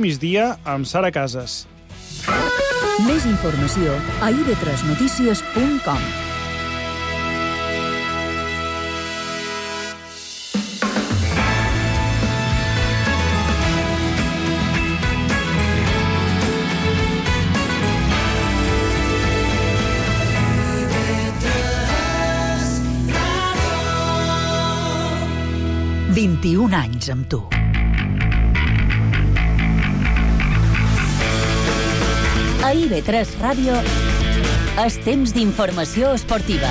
Migdia amb Sara Casas. Més informació a ib3notícies.com. « 21 anys amb tu. A IB3 Ràdio, és temps d'informació esportiva.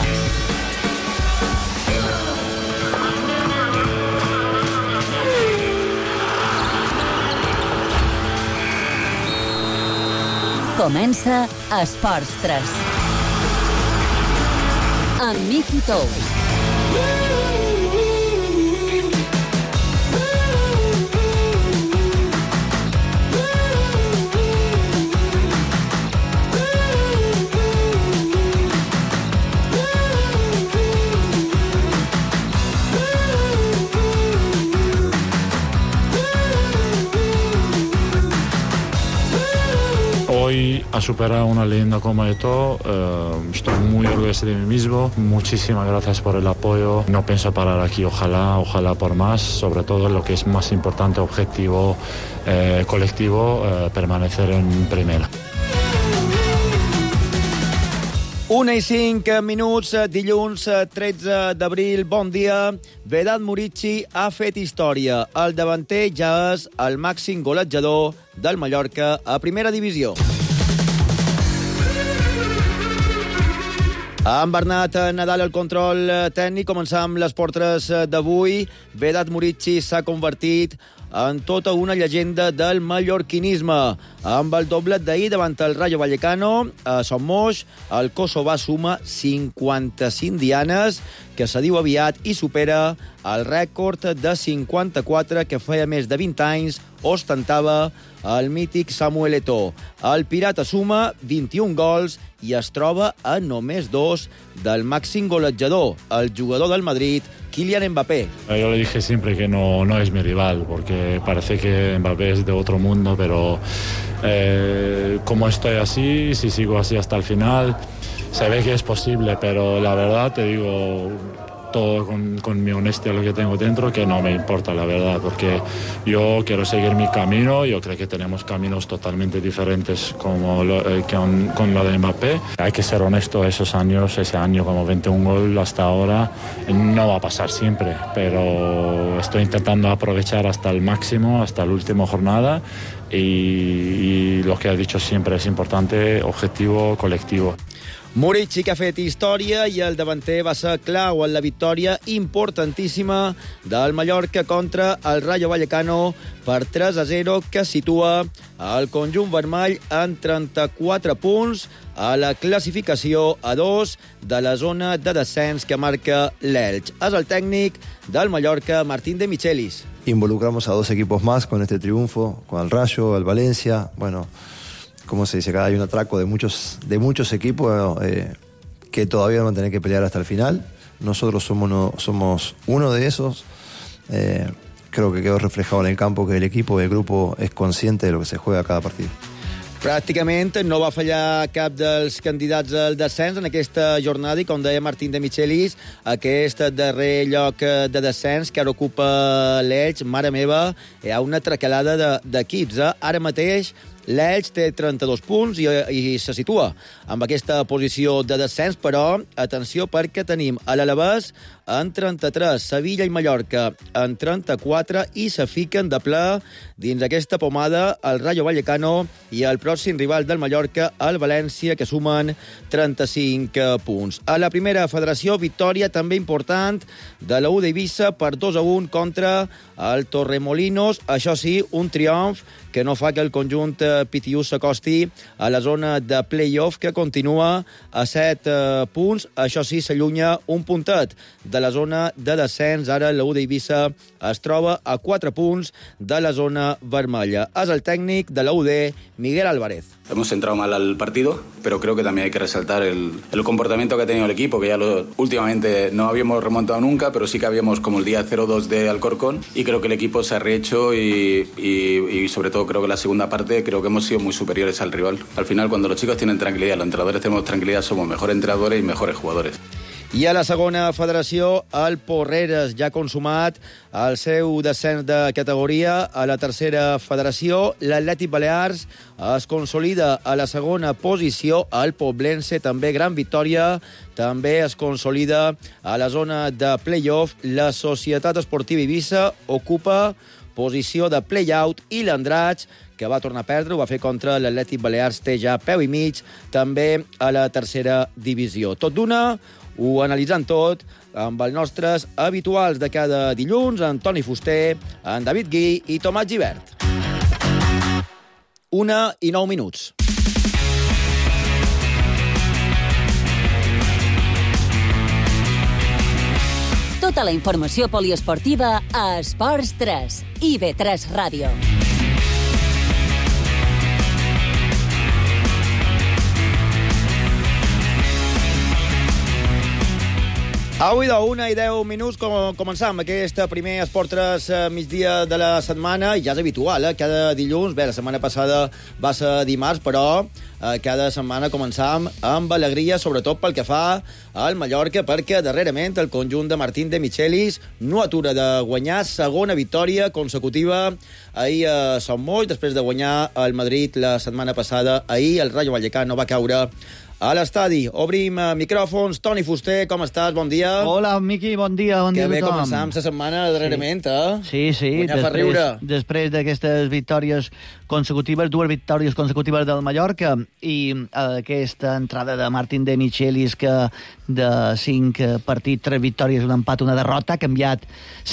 Comença Esports 3. Amb Miqui Tous. Hoy ha superado una leyenda como esto, estoy muy orgulloso de mí mismo, muchísimas gracias por el apoyo, no pienso parar aquí, ojalá por más, sobre todo lo que es más importante, objetivo colectivo, permanecer en primera. 1:05, dilluns 13 d'abril. Bon dia. Vedat Murici ha fet història. El davanter ja és el màxim golejador del Mallorca a primera divisió. Amb Bernat Nadal al control tècnic, començam amb les portres d'avui. Vedat Murici s'ha convertit en tota una llegenda del mallorquinisme. Amb el doblet d'ahir davant el Rayo Vallecano, a Son Moix, el kosovà suma 55 dianes, que se diu aviat i supera el rècord de 54 que feia més de 20 anys ostentava el mític Samuel Eto'o. El pirata suma 21 gols i es troba a només 2 del màxim golejador, el jugador del Madrid, Kylian Mbappé. Yo le dije siempre que no es mi rival, porque parece que Mbappé es de otro mundo, pero como estoy así, si sigo así hasta el final, se ve que es posible, pero la verdad te digo todo con mi honestidad, lo que tengo dentro, que no me importa, la verdad, porque yo quiero seguir mi camino. Yo creo que tenemos caminos totalmente diferentes con lo de Mbappé. Hay que ser honesto, ese año como 21 goles hasta ahora no va a pasar siempre, pero estoy intentando aprovechar hasta el máximo, hasta la última jornada, y lo que ha dicho siempre es importante, objetivo colectivo. Murici, que ha fet història, i el davanter va ser clau en la victòria importantíssima del Mallorca contra el Rayo Vallecano per 3-0, que situa el conjunt vermell en 34 punts a la classificació a 2 de la zona de descens que marca l'Elx. És el tècnic del Mallorca, Martín de Michelis. Involucramos a 2 equipos más con este triunfo, con el Rayo, el Valencia, bueno... Como se dice acá, hay un atraco de muchos equipos que todavía van a tener que pelear hasta el final. Nosotros somos uno de esos. Creo que quedó reflejado en el campo que el equipo y el grupo es consciente de lo que se juega cada partido. Pràcticament no va fallar cap dels candidats al descens en aquesta jornada i, com deia Martín de Michelis, aquest darrer lloc de descens que ara ocupa l'Elx, mare meva, hi ha una tracalada d'equips. Ara mateix l'Elx té 32 punts i se situa amb aquesta posició de descens, però atenció perquè tenim a l'Alavés en 33, Sevilla i Mallorca en 34 i se fiquen de ple dins aquesta pomada el Rayo Vallecano i el pròxim rival del Mallorca, el València, que sumen 35 punts. A la primera federació, victòria també important de la U d'Eivissa per 2-1 contra el Torremolinos. Això sí, un triomf que no fa que el conjunt Pitiús s'acosti a la zona de play-off, que continua a 7 punts. Això sí, s'allunya un puntet de la zona de descens. Ara la U d'Eivissa es troba a 4 punts de la zona vermella. És el tècnic de la UD, Miguel Álvarez. Hemos entrado mal al partido, pero creo que también hay que resaltar el comportamiento que ha tenido el equipo, que ya últimamente no habíamos remontado nunca, pero sí que habíamos como el día 0-2 de Alcorcón, y creo que el equipo se ha rehecho y sobre todo creo que la segunda parte creo que hemos sido muy superiores al rival. Al final, cuando los chicos tienen tranquilidad, los entrenadores tenemos tranquilidad, somos mejores entrenadores y mejores jugadores. I a la segona federació, el Porreres ja ha consumat el seu descens de categoria. A la tercera federació, l'Atlètic Balears es consolida a la segona posició. El Poblense, també gran victòria, també es consolida a la zona de play-off. La Societat Esportiva Eivissa ocupa posició de play-out i l'Andratx, que va tornar a perdre, ho va fer contra l'Atlètic Balears, té ja peu i mig, també a la tercera divisió. Tot d'una, ho analitzant tot amb els nostres habituals de cada dilluns, en Toni Fuster, en David Gui i Tomàs Gibert. 1:09. Tota la informació poliesportiva a Esports 3 i IB3 Ràdio. Avui de 1:10 començam aquest primer Esport 3 migdia de la setmana, i ja és habitual, cada dilluns. Bé, la setmana passada va ser dimarts, però cada setmana començam amb alegria, sobretot pel que fa al Mallorca, perquè darrerament el conjunt de Martín de Michelis no atura de guanyar, segona victòria consecutiva ahir a Son Moix, després de guanyar el Madrid la setmana passada. Ahir el Rayo Vallecano va caure a l'estadi. Obrim micròfons. Toni Fuster, com estàs? Bon dia. Hola, Miqui, bon dia a tothom. Que bé començam la setmana darrerament, Sí, Guanyar fa riure. Després d'aquestes victòries consecutives, 2 victòries consecutives del Mallorca, i aquesta entrada de Martín de Michelis, que de 5 partits, 3 victòries, un empat, una derrota, ha canviat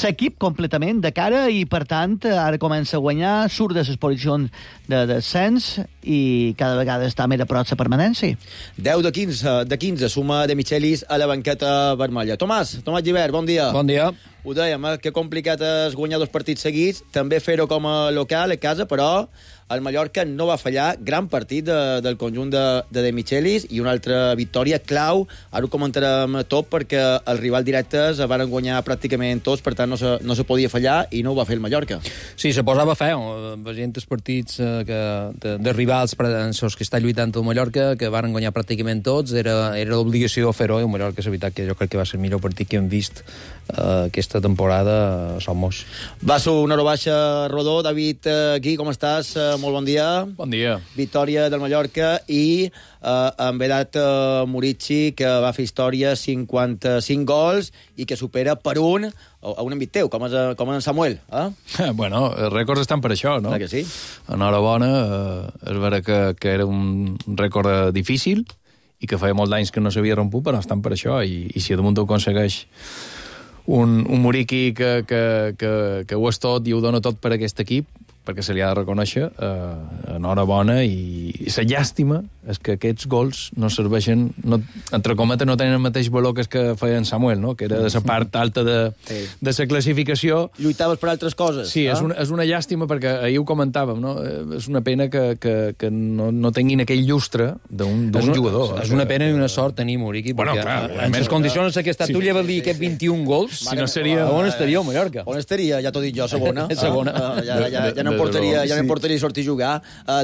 l'equip completament de cara, i per tant ara comença a guanyar, surt de les posicions de descens i cada vegada està més a prop de la permanència. 10 de 15 suma de Michelis a la banqueta vermella. Tomàs Gibert, bon dia. Bon dia. Ho dèiem, que complicat és guanyar 2 partits seguits, també fer-ho com a local, a casa, però el Mallorca no va fallar. Gran partit del conjunt de Michelis, i una altra victòria clau. Ara ho comentarem tot, perquè els rivals directes van guanyar pràcticament tots, per tant no se podia fallar, i no ho va fer el Mallorca. Sí, se posava feo. Veient els partits de rivals en els que està lluitant el Mallorca, que van guanyar pràcticament tots, era l'obligació fer-ho, i el Mallorca és veritat que jo crec que va ser el millor partit que hem vist aquesta temporada a Son Moix. Va ser una hora baixa rodó. David Gui, com estàs? Molt bon dia. Bon dia. Victòria del Mallorca, i amb Vedat Murici, que va fer història, 55 gols, i que supera per un a un envit teu, com en Samuel. Bueno, els rècords estan per això, no? Clar que sí. Enhorabona, és vera que era un rècord difícil i que feia molts anys que no s'havia romput, però estan per això, i si damunt ho aconsegueix un Muriqui que ho és tot i ho dona tot per aquest equip, perquè se li ha de reconèixer, enhorabona, i la llàstima és que aquests gols no serveixen, entre cometes, no tenen el mateix valor que feia en Samuel, no? Que era de la part alta de la classificació. Lluitaves per altres coses. Sí, és una llàstima, perquè ahir ho comentàvem, no? És una pena que no tinguin aquell llustre d'un jugador. És una pena i una sort tenir Muriqui, perquè en les condicions en què està tu, vol dir aquests 21 gols, si no seria... On estaria el Mallorca? On estaria? Ja t'ho dic jo, segona. Segona. Ja no em portaria sortir a jugar.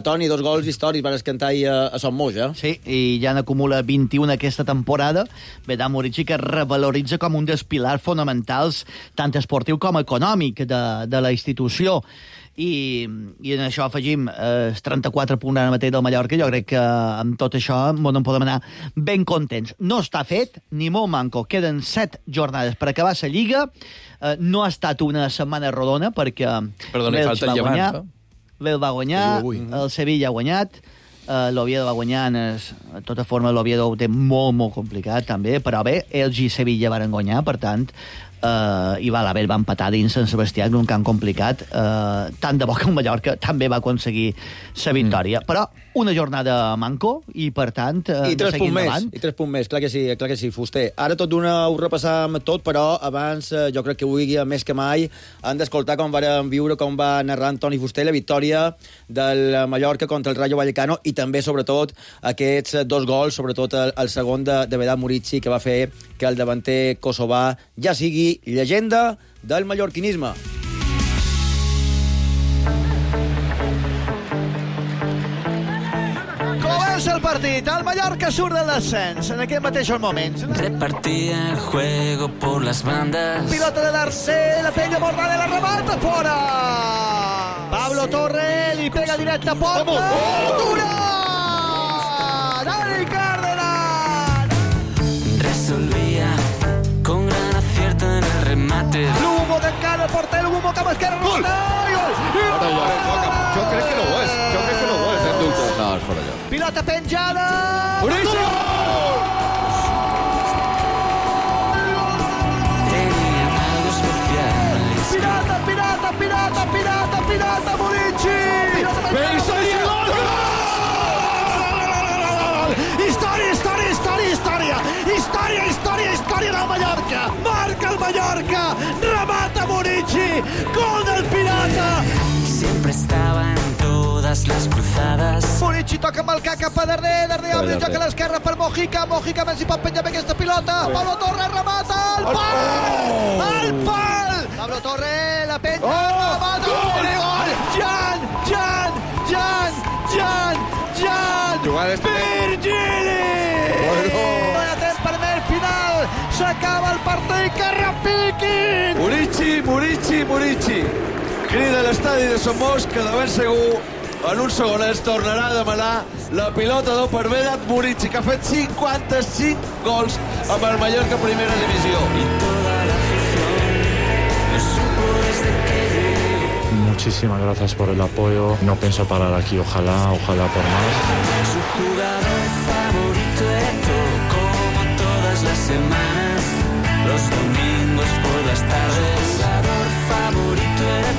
Toni, 2 gols històrics van escantar a Son Moix, Sí, i ja n'acumula 21 aquesta temporada. Vedat Murici, que revaloritza com un dels pilars fonamentals, tant esportiu com econòmic, de la institució. I en això afegim 34 punts ara mateix del Mallorca. Jo crec que amb tot això en podem anar ben contents. No està fet, ni molt manco. Queden 7 jornades per acabar la Lliga. No ha estat una setmana rodona, perquè l'Elx va guanyar, l'Elx va guanyar, el Sevilla ha guanyat, l'Oviedo va guanyar, de tota forma l'Oviedo ho té molt, molt complicat també, però bé, Elx i Sevilla varen guanyar, per tant i Balaber va empatar dins Sant Sebastià en un camp complicat, tant de bo que el Mallorca també va aconseguir la victòria. Però una jornada manco i, per tant, I 3 punts endavant. més, i 3 punts més, clar que sí, Fuster. Ara tot d'una ho repassam tot, però abans jo crec que avui, més que mai, han d'escoltar com varen viure, com va narrar Antoni Fuster la victòria del Mallorca contra el Rayo Vallecano i també, sobretot, aquests 2 gols, sobretot el segon de Vedat Murici, que va fer que el davanter kosovà ja sigui llegenda del mallorquinisme. Comença el partit, el Mallorca surt de l'ascens en aquest mateix moment. Repartía el juego por las bandas. Pilota de Darcé, la penya Mornada, la remata fora. Pablo Torre li pega directe a porta. Dura! Dani Cárdenas! Resolvía con gran acierto en el remate. Lugo d'encara el porter, Lugo cap esquerra. Gol! Jo crec que no ho és. No, és fora allò. Pilota penjada. Boníssim! Tenía algo especial. Pirata, Murici! Història del Mallorca! Marca el Mallorca! Remata Murici! Gol del Pirata! Siempre estaba en todas las cruzadas. Murici toca amb el cap a darrere, obre el joc a l'esquerra per Mojica, a veure si pot penjar bé aquesta pilota. Pablo Torre remata, al pal! Al pal! Pablo Torre, la penja, remata, gol! Jan! Virgili! No hi ha temps per més, final! S'acaba el partit, que repiquin! Murici. Crida a l'estadi de Somos, que de ben segur en un segonet tornarà a demanar la pilota d'or per Vedat Murici, que ha fet 55 gols amb el Mallorca Primera Divisió. Muchísimas gracias por el apoyo. No pienso parar aquí, ojalá por más. Su jugador favorito era como todas las semanas, los domingos por las tardes. Jugador favorito era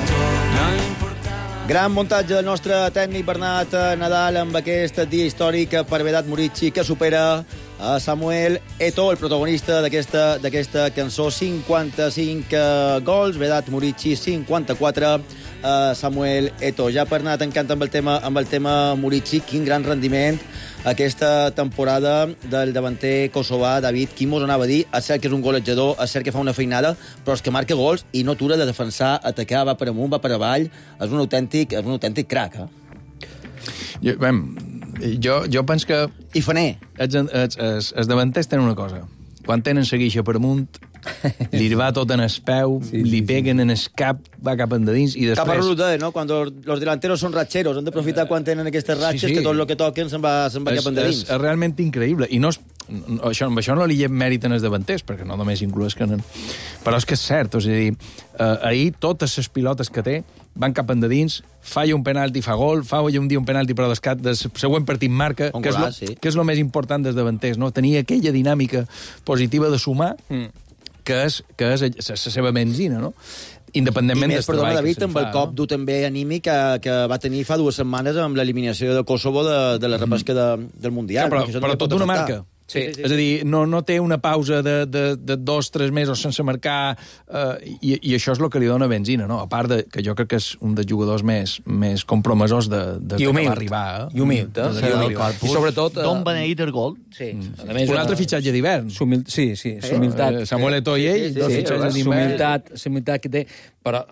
no importaba. Gran muntatge del nostre tècnic Bernat Nadal amb aquest dia històric per Vedat Murici, que supera a Samuel Eto'o, el protagonista d'aquesta cançó. 55 gols, Vedat Murici 54, Samuel Eto'o. Ja per anar tancant amb el tema Murici, quin gran rendiment aquesta temporada del davanter kosovà David Quimos. Anava a dir, és cert que és un golejador, és cert que fa una feinada, però és que marca gols i no atura de defensar, atacar, va per amunt, va per avall. És un autèntic crac, Jo penso que... I faner. Els davanters tenen una cosa. Quan tenen la guixa per amunt, li va tot en el peu, li peguen en el cap, va cap endins i després... Cap a Rude, no? Quan los delanteros són ratxeros, han d'aprofitar quan tenen aquestes ratxes, que tot el que toquen se'n va cap endins. És realment increïble. I això no li lleva mèrit en els davanters, perquè no només inclús que... Però és que és cert, és a dir, ahir totes les pilotes que té van cap endins, falla un penalti, fa gol, falla un dia un penalti, però del següent partit marca, que és el més important dels davanters, no? Tenir aquella dinàmica positiva de sumar, que és la seva benzina, no? Independentment del treball David, amb el cop dur també anímic que va tenir fa 2 setmanes amb l'eliminació de Kosovo de la repesca del Mundial. Però tot d'una marca. Sí. És a dir, no té una pausa de 2-3 mesos sense marcar, i això és el que li dona benzina, no? A part que jo crec que és un dels jugadors més compromessos de que va arribar. I humil, I sobretot... D'on beneït el gol. Sí. Un altre fitxatge d'hivern. Sí, humilitat. Samuel Eto'o i ell, dos fitxatges d'hivern. Humilitat que té. Però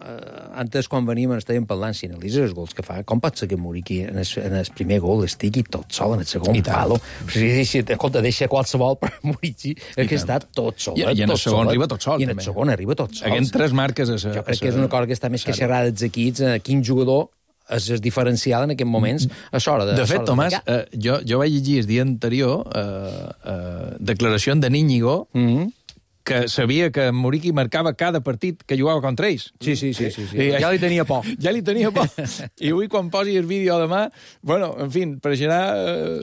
antes, quan veníem, estàvem parlant, si analitzes els gols que fa, com pot ser que Murici en el primer gol estigui tot sol en el segon palo? Escolta, deixa qualsevol per Murici, que està tot sol. I en el segon arriba tot sol. I en el segon arriba tot sol. Haguem 3 marques... Jo crec que és una cosa que està més que xerrada dels equips, quin jugador és diferencial en aquests moments a l'hora de... De fet, Tomàs, jo vaig llegir el dia anterior declaració de Íñigo que sabia que Muriqui marcava cada partit que jugava contra ells. Sí. Ja li tenia por. Ja li tenia por. I avui, quan posi el vídeo demà, bueno, en fi, pareixerà...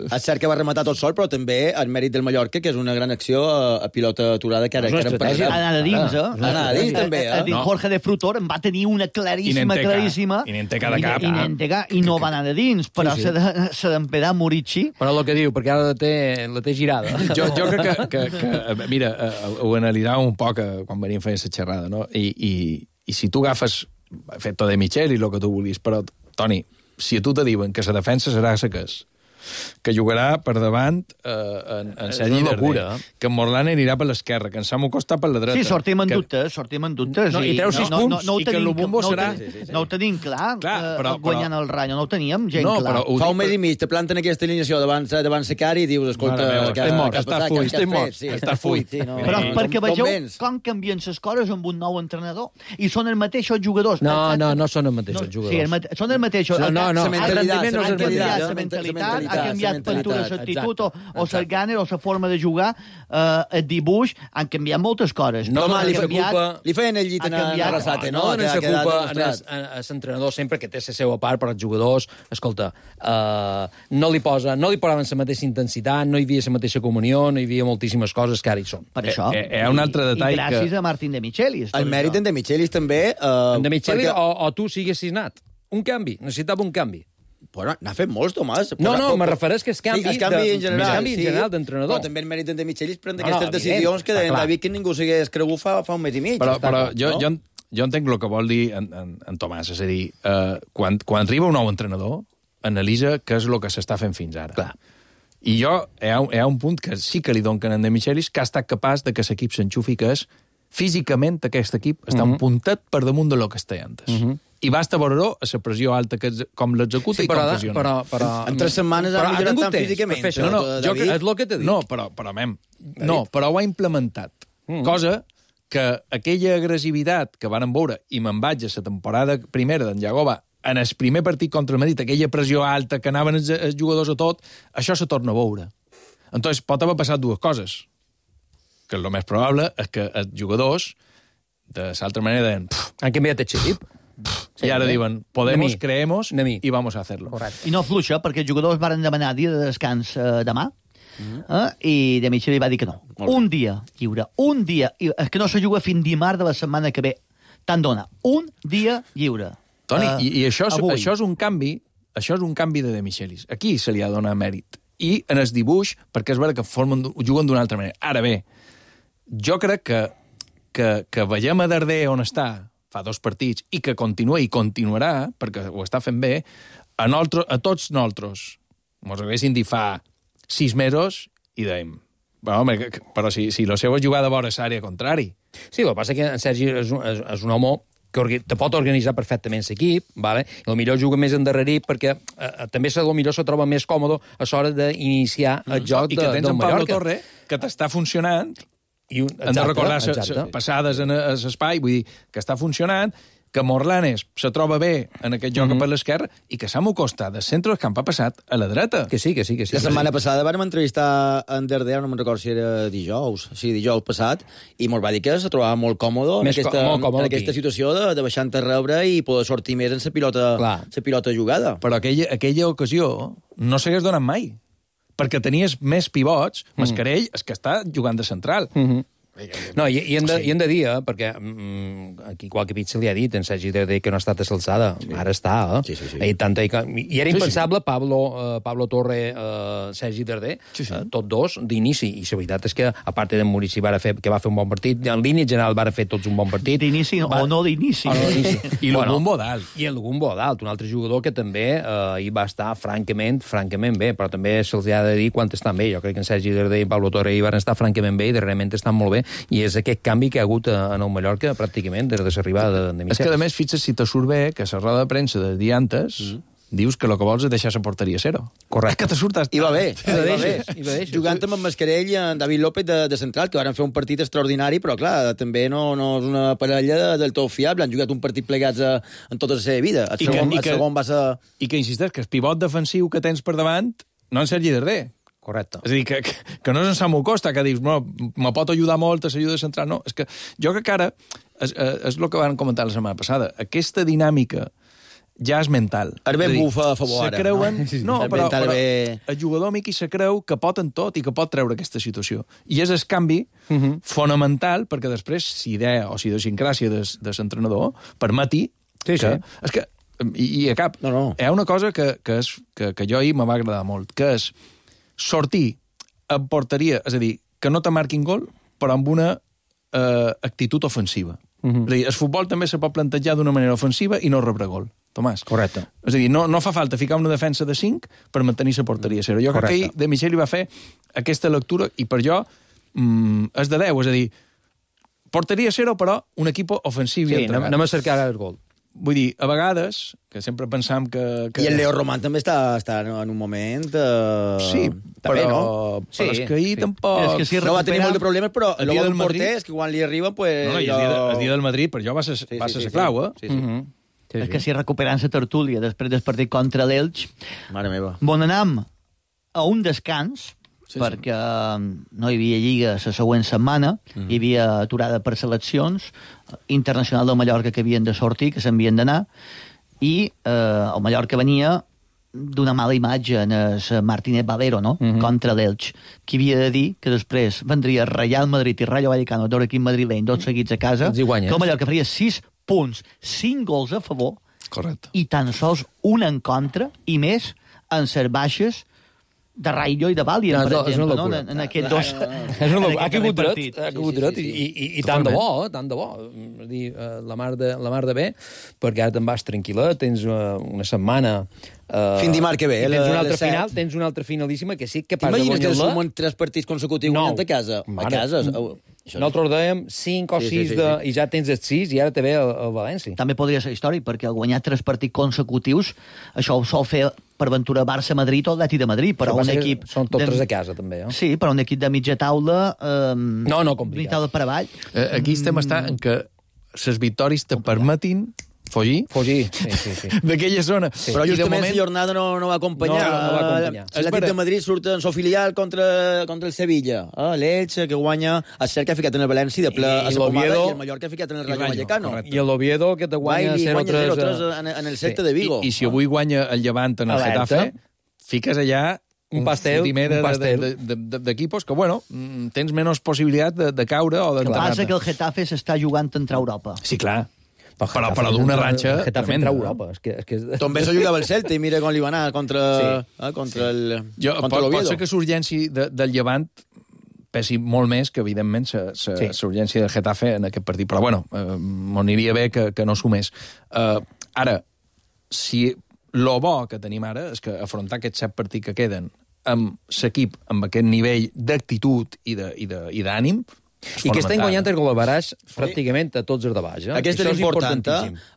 És cert que va rematar tot sol, però també el mèrit del Mallorca, que és una gran acció a pilota aturada, que ara anar a dins, anar a dins, també, Jorge de Frutor en va tenir una claríssima. I n'en té cada cap. I no va anar a dins, però s'ha d'empedar Muriqui. Però el que diu, perquè ara la té girada. Jo crec que mira, ho analitzàvem un poc quan veníem fent la xerrada, no? I si tu agafes Fetto de Michel i el que tu vulguis, però, Toni, si a tu te diuen que la defensa serà la que és, que jugarà per davant en Sergi Darder, que en Morlán anirà per l'esquerra, que en Samu Costa per la dreta. Sí, sortim en dubtes. I treu 6 punts, i que el Lubumbo serà... No ho tenim clar, guanyant el Rayo, no ho teníem gent clar. Fa un mes i mig, te planten aquesta alineació davant Secari i dius, escolta... Està fuit. Però perquè vegeu com canvien les coses amb un nou entrenador. I són els mateixos jugadors. No són els mateixos jugadors. Sí, són els mateixos. La mentalitat, ha canviat pintura, l'actitud, o el gàner, o la forma de jugar, el dibuix, han canviat moltes coses. Li feien el llit a Arrasate, no? No se culpa a l'entrenador sempre que té la seva part, però els jugadors, escolta, no li posaven la mateixa intensitat, no hi havia la mateixa comunió, no hi havia moltíssimes coses que ara hi són. Per això. Hi ha un altre detall que... I gràcies a Martín de Michelis. El mèrit d'en de Michelis també... En de Michelis o tu siguessis anat. Un canvi, necessitava un canvi. Bueno, n'ha fet molts, Tomàs. No, me refereix que és canvi en general d'entrenador. Però també el mèrit de Michelis prendre aquestes decisions que deien David que ningú s'hagués cregut fa un mes i mig. Però jo entenc el que vol dir en Tomàs, és a dir, quan arriba un nou entrenador, analitza què és el que s'està fent fins ara. Clar. I hi ha un punt que sí que li donen en de Michelis, que ha estat capaç de que l'equip s'enxufi, que és físicament aquest equip està un puntet per damunt de lo que està antes. I basta veure-ho a la pressió alta com l'executa i com pressiona. Però en 3 setmanes ha millorat tant físicament. És el que t'he dit. No, però ho ha implementat. Cosa que aquella agressivitat que van veure, i me'n vaig a la temporada primera d'en Jagoba, en el primer partit contra el Madrid, aquella pressió alta que anaven els jugadors a tot, això se torna a veure. Entonces, pot haver passat dues coses. Que el més probable és que els jugadors, de l'altra manera, deien... Han canviat el xip. I ara diuen, podemos, creemos y vamos a hacerlo. Correcte. I no fluixa, perquè els jugadors van demanar dia de descans demà, i de Michel va dir que no. Un dia lliure, un dia... És que no se juga fins dimarts de la setmana que ve. Tant dona. Un dia lliure. Toni, i això és un canvi, de Michelis. Aquí se li ha de donar mèrit. I en el dibuix, perquè és veritat que juguen d'una altra manera. Ara bé, jo crec que veiem a Darder on està, fa 2 partits, i que continua i continuarà, perquè ho està fent bé, a tots nosaltres. Ens haguessin dit fa 6 mesos i dèiem, però si la seva jugada vora és àrea contrari. Sí, el que passa que en Sergi és un home que te pot organitzar perfectament l'equip, vale? I potser juga més endarrerit perquè també potser se troba més còmode a l'hora d'iniciar el joc del Mallorca. I que tens en Pablo Torre, que t'està funcionant, i hem de recordar passades en l'espai, vull dir, que està funcionant, que Morlanes se troba bé en aquest joc per l'esquerra i que Samu Costa de centre del camp ha passat a la dreta. Que sí. La setmana passada vam entrevistar en Darder, no me'n recordo si era dijous passat, i mos va dir que se trobava molt còmode en aquesta situació de baixant a rebre i poder sortir més en la pilota jugada. Però aquella ocasió no s'hagués donat mai, perquè tenies més pivots, Mascarell és que està jugant de central. No, i hem de dir, perquè aquí qualque pit se li ha dit, en Sergi Darder que no ha estat a l'alçada. Ara està, Sí. I era impensable Pablo Torre, Sergi Darder, tots dos d'inici. I la veritat és que, a part de Murici, que va fer un bon partit, en línia general va fer tots un bon partit. D'inici o no d'inici. I el Lubumbo dalt. I el Lubumbo dalt, un altre jugador que també hi va estar francament bé, però també se'ls ha de dir quan estan bé. Jo crec que en Sergi Darder i Pablo Torre hi van estar francament bé i darrerament estan molt bé. I és aquest canvi que ha hagut en el Mallorca pràcticament des de l'arribada de Michel. És que, a més, fixa't si te surt bé que a la roda de premsa de dia antes dius que el que vols és deixar la porteria a 0. Correcte. És que te surt... I va bé. Jugant amb en Mascarell i en David López de central, que van fer un partit extraordinari, però, clar, també no és una parella del tot fiable. Han jugat un partit plegats en tota la seva vida. El segon va ser... I que insisteix que el pivot defensiu que tens per davant no en Sergi Darder, Correcte. És a dir, que no és en Samu Costa, que dius, no, me pot ajudar molt a l'ajuda central. No, és que jo crec que ara, és el que vam comentar la setmana passada, aquesta dinàmica ja és mental. És ben bufa a favor ara. Creuen, no, però el jugador miqui se creu que pot en tot i que pot treure aquesta situació. I és el canvi fonamental perquè després, si idea o si idiosincràsia de l'entrenador permeti que... És que, i a cap, hi ha una cosa que jo ahir me va agradar molt, que és sortir en porteria, és a dir, que no te marquin gol, però amb una actitud ofensiva. És a dir, el futbol també se pot plantejar d'una manera ofensiva i no rebre gol. Tomàs. Correcte. És a dir, no fa falta ficar una defensa de 5 per mantenir la porteria a 0. Jo crec que ahir De Micheli va fer aquesta lectura i per jo és de 10, és a dir, porteria a 0 però un equip ofensiu i entregat. Anem a cercar el gol. Vull dir, a vegades, que sempre pensam que... I el Leo Román també està en un moment... Sí, també, però... no? Sí, però és que ahir tampoc... És que si no va tenir molt de problemes, però el del porter és que quan li arriba... Pues, no, i el dia del Madrid, per jo va ser la clau, eh? Sí. És que si recuperant la tertúlia després del partit contra l'Elx... Mare meva. Bon anam a un descans, perquè no hi havia lliga la següent setmana, hi havia aturada per seleccions, internacional del Mallorca que havien de sortir, que s'havien d'anar, i el Mallorca venia d'una mala imatge en el Martínez Valero, no? Contra l'Elx, qui havia de dir que després vendria Real Madrid i Rayo Vallecano, dos equips madrileny, dos seguits a casa, que el Mallorca faria 6 punts, 5 gols a favor. Correcte. I tan sols un en contra, i més en les baixes de Rayo i de Valien, per exemple, no? En aquests dos... Ha caigut dret, i tant de bo, tant de bo. La mar de bé, perquè ara te'n vas tranquil·la, tens una setmana... Fin dimarts que ve, tens una altra finalíssima que sí que pas de guanyar-la. T'imagines que sumen 3 partits consecutius a casa? A casa? Nosaltres dèiem 5 o 6 i ja tens els 6 i ara te ve el València. També podria ser històric, perquè al guanyar 3 partits consecutius, això ho sol fer per Ventura Barça-Madrid o l'Atlètic de Madrid, però un equip... Són tots 3 a casa, també, eh? Sí, però un equip de mitja taula... No, complicat. Taula per avall. Aquí estem en que les victòries te permetin fugir sí. d'aquella zona. Sí. Però justament la jornada no va acompanyar. No va acompanyar. L'Atlètic de Madrid surt en su filial contra el Sevilla. L'Elche, que guanya, el Cert que ha ficat en el València de ple a la pomada, i el Mallorca ha ficat en el Rayo Vallecano. I l'Oviedo, que te guanya 0-3 en el Celta de Vigo. I si avui guanya el Llevant en el Getafe, fiques allà un pastel d'equipos que, bueno, tens menys possibilitat de caure o d'entrar. El que passa que el Getafe s'està jugant a entrar a Europa. Sí, clar. Però d'una ratxa tremenda. Europa. També s'ajudava el Celta i mira com li va anar contra l'Oviedo. Pot ser que l'urgència del Llevant pesi molt més que, evidentment, l'urgència del Getafe en aquest partit. Però, bueno, m'aniria bé que no sumés. Ara, si lo bo que tenim ara és que afrontar aquests 7 partits que queden amb l'equip, amb aquest nivell d'actitud i d'ànim, i que estem guanyant el Golabaraix pràcticament a tots els de baix. Aquest és important.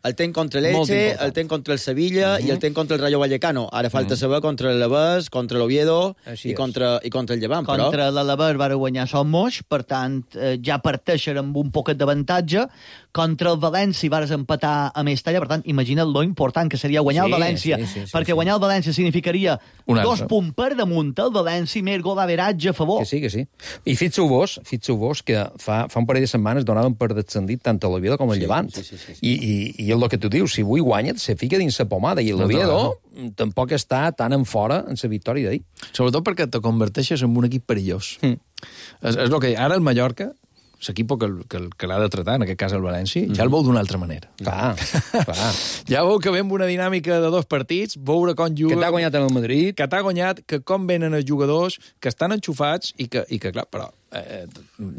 El ten contra l'Elche, el ten contra el Sevilla i el ten contra el Rayo Vallecano. Ara falta saber contra l'Alavés, contra l'Oviedo i contra el Llevant. Contra l'Alavés va guanyar Somos, per tant, ja parteixen amb un poquet d'avantatge. Contra el València vas empatar a Mestalla, per tant, imagina't lo important que seria guanyar el València, perquè guanyar el València significaria 2 punts per damunt el València i més gol d'averatge a favor. Que sí. I fixeu-vos que fa un parell de setmanes donaven per descendit tant a l'Oviedo com el Llevant. I el que tu dius, si avui guanya, se fica dins la pomada, i l'Oviedo tampoc està tan en fora en la victòria d'ahir. Sobretot perquè te converteixes en un equip perillós. És el que ara el Mallorca, l'equip que l'ha de tratar, en aquest cas el València, ja el veu d'una altra manera. Clar. Ja veu que ve amb una dinàmica de 2 partits, veure com juga... Que t'ha guanyat en el Madrid. Que t'ha guanyat, que com venen els jugadors, que estan enxufats i que clar, però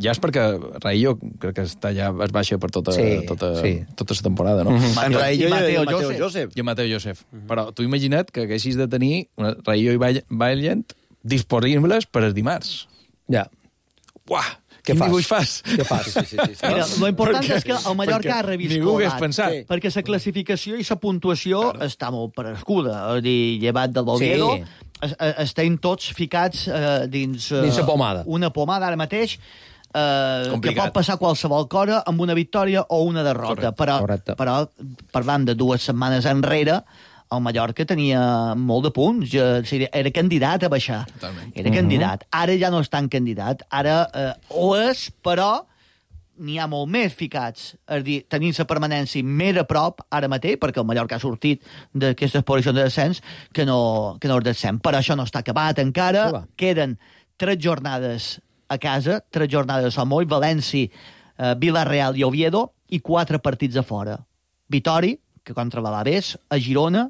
ja és perquè Raillo crec que està ja es baixa per tota la temporada, no? En Raillo i Mateo Josep. I Mateo Josep. Però tu imagina't que haguessis de tenir Raillo i Valent disponibles per el dimarts. Ja. Uah! Quin dibuix fas? Què fas? Mira, lo important és que el Mallorca ha reviscolat. Ningú hagués pensat. Perquè la classificació i la puntuació està molt prescuda. És a dir, llevat del Oviedo, estem tots ficats dins la pomada. Una pomada ara mateix que pot passar qualsevol cosa amb una victòria o una derrota. Però parlant de 2 setmanes enrere, el Mallorca tenia molt de punts, era candidat a baixar. Totalment. Era candidat. Ara ja no és tan candidat. Ara ho és, però n'hi ha molt més ficats. És a dir, tenint la permanència més a prop ara mateix, perquè el Mallorca ha sortit d'aquestes posicions de descens, que no és descens. Però això no està acabat encara. Queden 3 jornades a casa, 3 jornades a Somoll, València, Villarreal i Oviedo, i 4 partits a fora. Vitori, que contra l'Alavés, a Girona,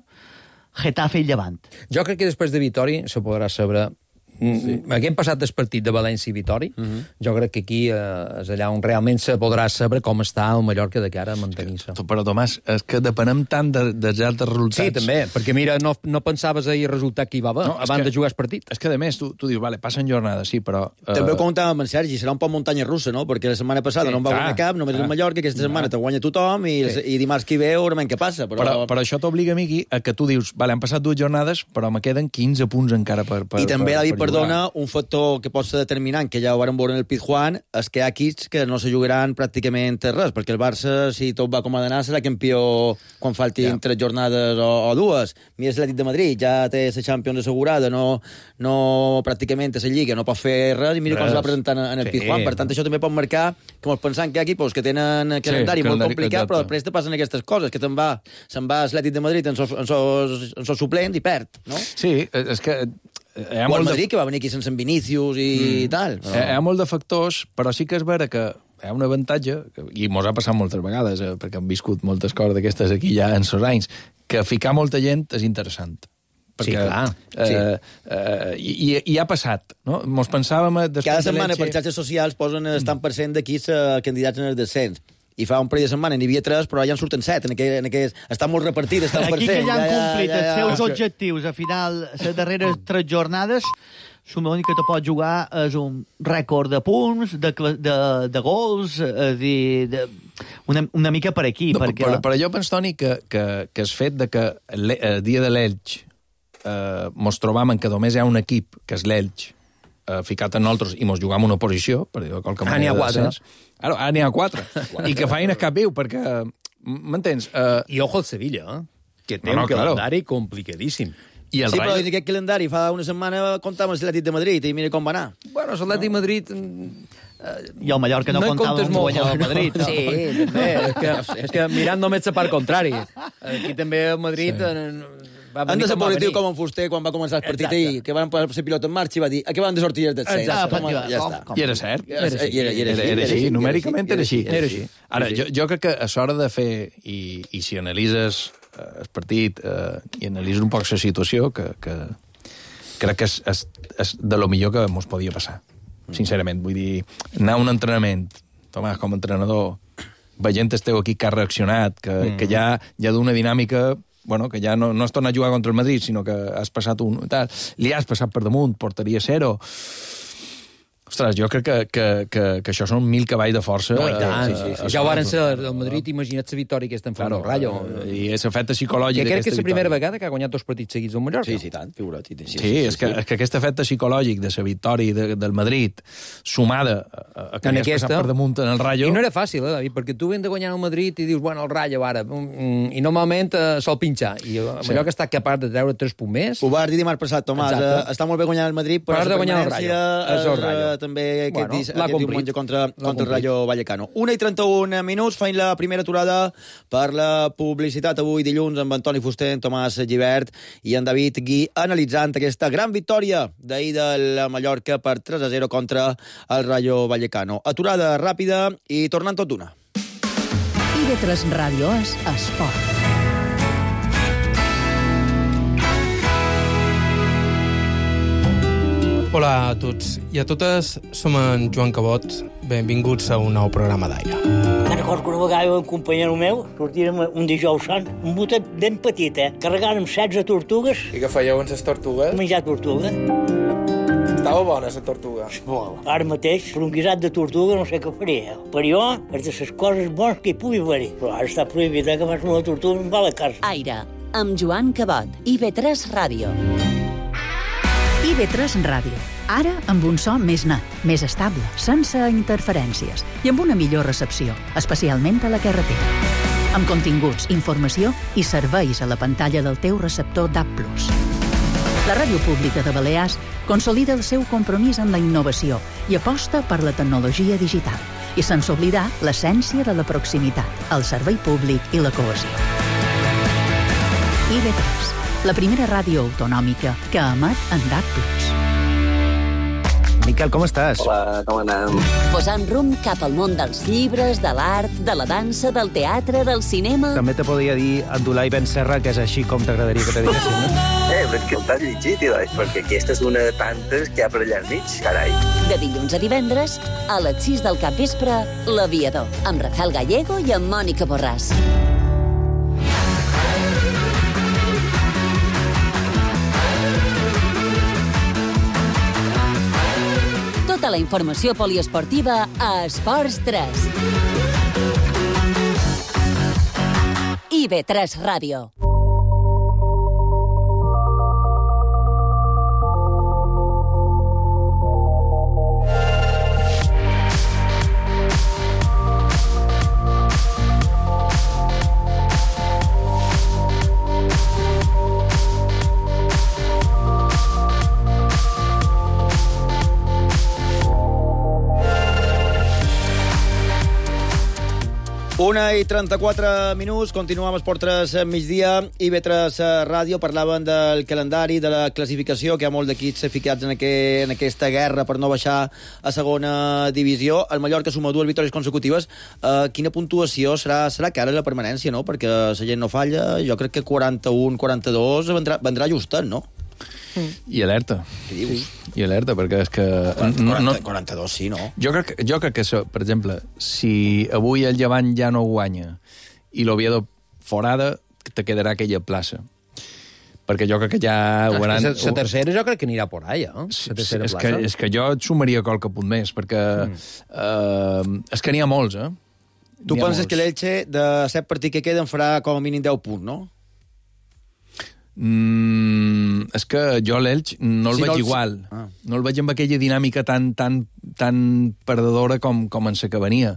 Getafe i Llevant. Jo crec que després de Vitori se podrà saber... Haguem passat del partit de València i Vitori, jo crec que aquí és allà on realment se podrà saber com està el Mallorca de cara a mantenir-se. Però, Tomàs, és que depenem tant dels altres resultats. Sí, també, perquè mira, no pensaves ahir el resultat que hi va haver abans de jugar el partit. És que, a més, tu dius, vale, passen jornades, sí, però... També ho comentàvem amb en Sergi, serà un poc muntanya russa, no? Perquè la setmana passada no en va guanyar cap, només el Mallorca, aquesta setmana te guanya tothom i dimarts que ve veurem què passa. Però això t'obliga, Miqui, a que tu dius, vale, han passat 2 jornades, però me queden 15 punts encara per I també, David, perdona, un factor que pot ser determinant, que ja ho vam veure en el Pizjuán, és que hi ha equips que no se jugaran pràcticament res, perquè el Barça, si tot va com ha d'anar, serà campió quan faltin 3 jornades o 2. Mira l'Atlètic de Madrid, ja té la Champions assegurada, no pràcticament té la Lliga, no pot fer res, i mira com es va presentar en el Pizjuán. Per tant, això també pot marcar que ens pensant que hi ha equips que tenen calendari molt complicat, però després te passen aquestes coses, que se'n va l'Atlètic de Madrid en sos suplents i perd, no? Sí, és que... O el Madrid, que va venir aquí sense Vinícius i tal. Hi ha molt de factors, però sí que és vera que hi ha un avantatge, i mos ha passat moltes vegades, perquè hem viscut moltes coses d'aquestes aquí ja en sos anys, que ficar molta gent és interessant. Perquè, i ha passat, no? Mos pensàvem... Cada setmana per xarxes socials posen el tant per cent d'aquí candidats en el descens. I fa un parell de setmana n'hi havia 3, però ja en surten 7. Estan molt repartides, estan per cent. Aquí que ja han complit els seus objectius a final, les darreres 3 jornades, l'únic que te pot jugar és un rècord de punts, de gols, una mica per aquí. Però jo penso, Toni, que el fet de que el dia de l'Elx mos trobàvem que només hi ha un equip, que és l'Elx, ficat en nosaltres i mos jugam una posició, per dir-ho de qualque manera. N'hi ha 4. Ara n'hi ha 4. I que feina cap viu, perquè... M'entens? I ojo al Sevilla, que té un calendari complicadíssim. Sí, però dins aquest calendari fa una setmana comptàvem l'Atlètic de Madrid i mira com va anar. Bueno, l'Atlètic de Madrid... I el Mallorca no comptàvem guanyar el Madrid. Sí, també. És que mirant només la part contrari. Aquí també el Madrid... Han de ser positiu com en Fuster quan va començar el partit ahir, que van posar pilot en marxa i va dir que van de sortir el descens. Ja està. I era cert. Era així, numèricament era així. Ara, jo crec que és hora de fer, i si analitzes el partit i analitzes un poc la situació, que crec que és de lo millor que ens podia passar. Sincerament, vull dir, anar a un entrenament, Tomàs, com a entrenador, veient el teu equip que ha reaccionat, que ja d'una dinàmica... Bueno, que ja no has tornat a jugar contra el Madrid, sinó que has passat tal, li has passat per damunt, portaria 0. Ostres, jo crec que això són 1000 cavalls de força. No, i tant. Ja ho varen ser el Madrid, imagina't la victòria que estan fent el Rayo. I és efecte psicològic d'aquesta victòria. Que crec que és la primera vegada que ha guanyat 2 partits seguits al Mallorca. Sí, tant, figura't. Sí, és que aquest efecte psicològic de la victòria del Madrid, sumada a que has passat per damunt en el Rayo... I no era fàcil, David, perquè tu ven de guanyar el Madrid i dius, bueno, el Rayo ara, i normalment sol pinxar. I el Mallorca està capaç de treure 3 punts més. Ho vas dir dimarts passat, Tomàs. Està molt bé guanyar el Madrid, però la permanència també aquest diumenge contra el Rayo Vallecano. 1:31 minuts, feim la primera aturada per la publicitat avui dilluns amb Antoni Fuster, Tomàs Gibert i en David Gui analitzant aquesta gran victòria d'ahir del Mallorca per 3-0 contra el Rayo Vallecano. Aturada ràpida i tornant tot d'una. IB3 Ràdio és esport. Hola a tots i a totes, som en Joan Cabot. Benvinguts a un nou programa d'aire. Me'n recordo que una vegada un companyero meu sortirem un dijous sant, un botet ben petit, carregàrem 16 tortugues. I què fèieu amb les tortugues? Menjar tortuga. Estava bona, la tortuga. Molt. Ara mateix, per un guisat de tortuga no sé què faria. Per jo, és de les coses bones que hi pugui haver-hi. Però ara està prohibit que fas una tortuga i va a la casa. Aire, amb Joan Cabot, IB3 Ràdio. IB3 Ràdio. Ara amb un so més net, més estable, sense interferències i amb una millor recepció, especialment a la carretera. amb continguts, informació i serveis a la pantalla del teu receptor DAB+. La Ràdio Pública de Balears consolida el seu compromís amb la innovació i aposta per la tecnologia digital, i sense oblidar l'essència de la proximitat, el servei públic i la cohesió. IB3, la primera ràdio autonòmica que emet en DAB+. Miquel, com estàs? Hola, com anem? Posant rumb cap al món dels llibres, de l'art, de la dansa, del teatre, del cinema... També te podria dir Abdulai Ben Serra, que és així com t'agradaria que te diguessin, no? Però és que el t'has llegit, perquè aquesta és una de tantes que hi ha per allà al mig, carai. De dilluns a divendres, a les 6 del capvespre, L'Aviador, amb Rafael Gallego i amb Mònica Borràs. Tota la informació poliesportiva a Esports 3. IB3 Ràdio. Una i 34 minuts, continuem amb Esport 3 migdia, IB3 Ràdio. Parlaven del calendari, de la classificació, que hi ha molt d'equips ficats en aquesta guerra per no baixar a segona divisió. El Mallorca suma 2 victòries consecutives. Quina puntuació serà cara la permanència, no? Perquè la gent no falla. Jo crec que 41-42 vendrà ajustat, no? I alerta. Què dius? I alerta, perquè és que... 42 sí, no? Jo crec que, per exemple, si avui el Llevant ja no guanya i l'Oviedo forada, te quedarà aquella plaça. Perquè jo crec que ja... La tercera jo crec que anirà por allà, no? És que jo et sumaria qualque punt més, perquè és que n'hi ha molts, eh? Tu penses que l'Elche, de 7 partits que queden, farà com a mínim 10 punts, no? És que jo l'Elx no el veig igual. No el veig amb aquella dinàmica tan perdedora com en la que venia.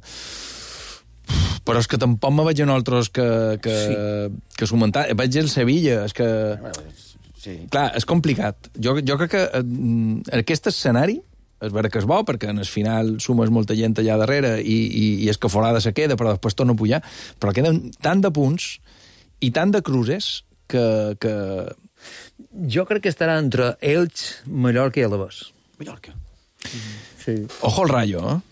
Però és que tampoc me veig en altres que sumentar. Veig el Sevilla, és que... Sí. Clar, és complicat. Jo crec que aquest escenari és vera que és bo, perquè en el final sumes molta gent allà darrere i és que forada se queda, però després torna a pujar. Però queden tant de punts i tant de cruces que... Jo crec que estarà entre Elx, Mallorca i Alavés. Mallorca. Sí. Ojo al Rayo,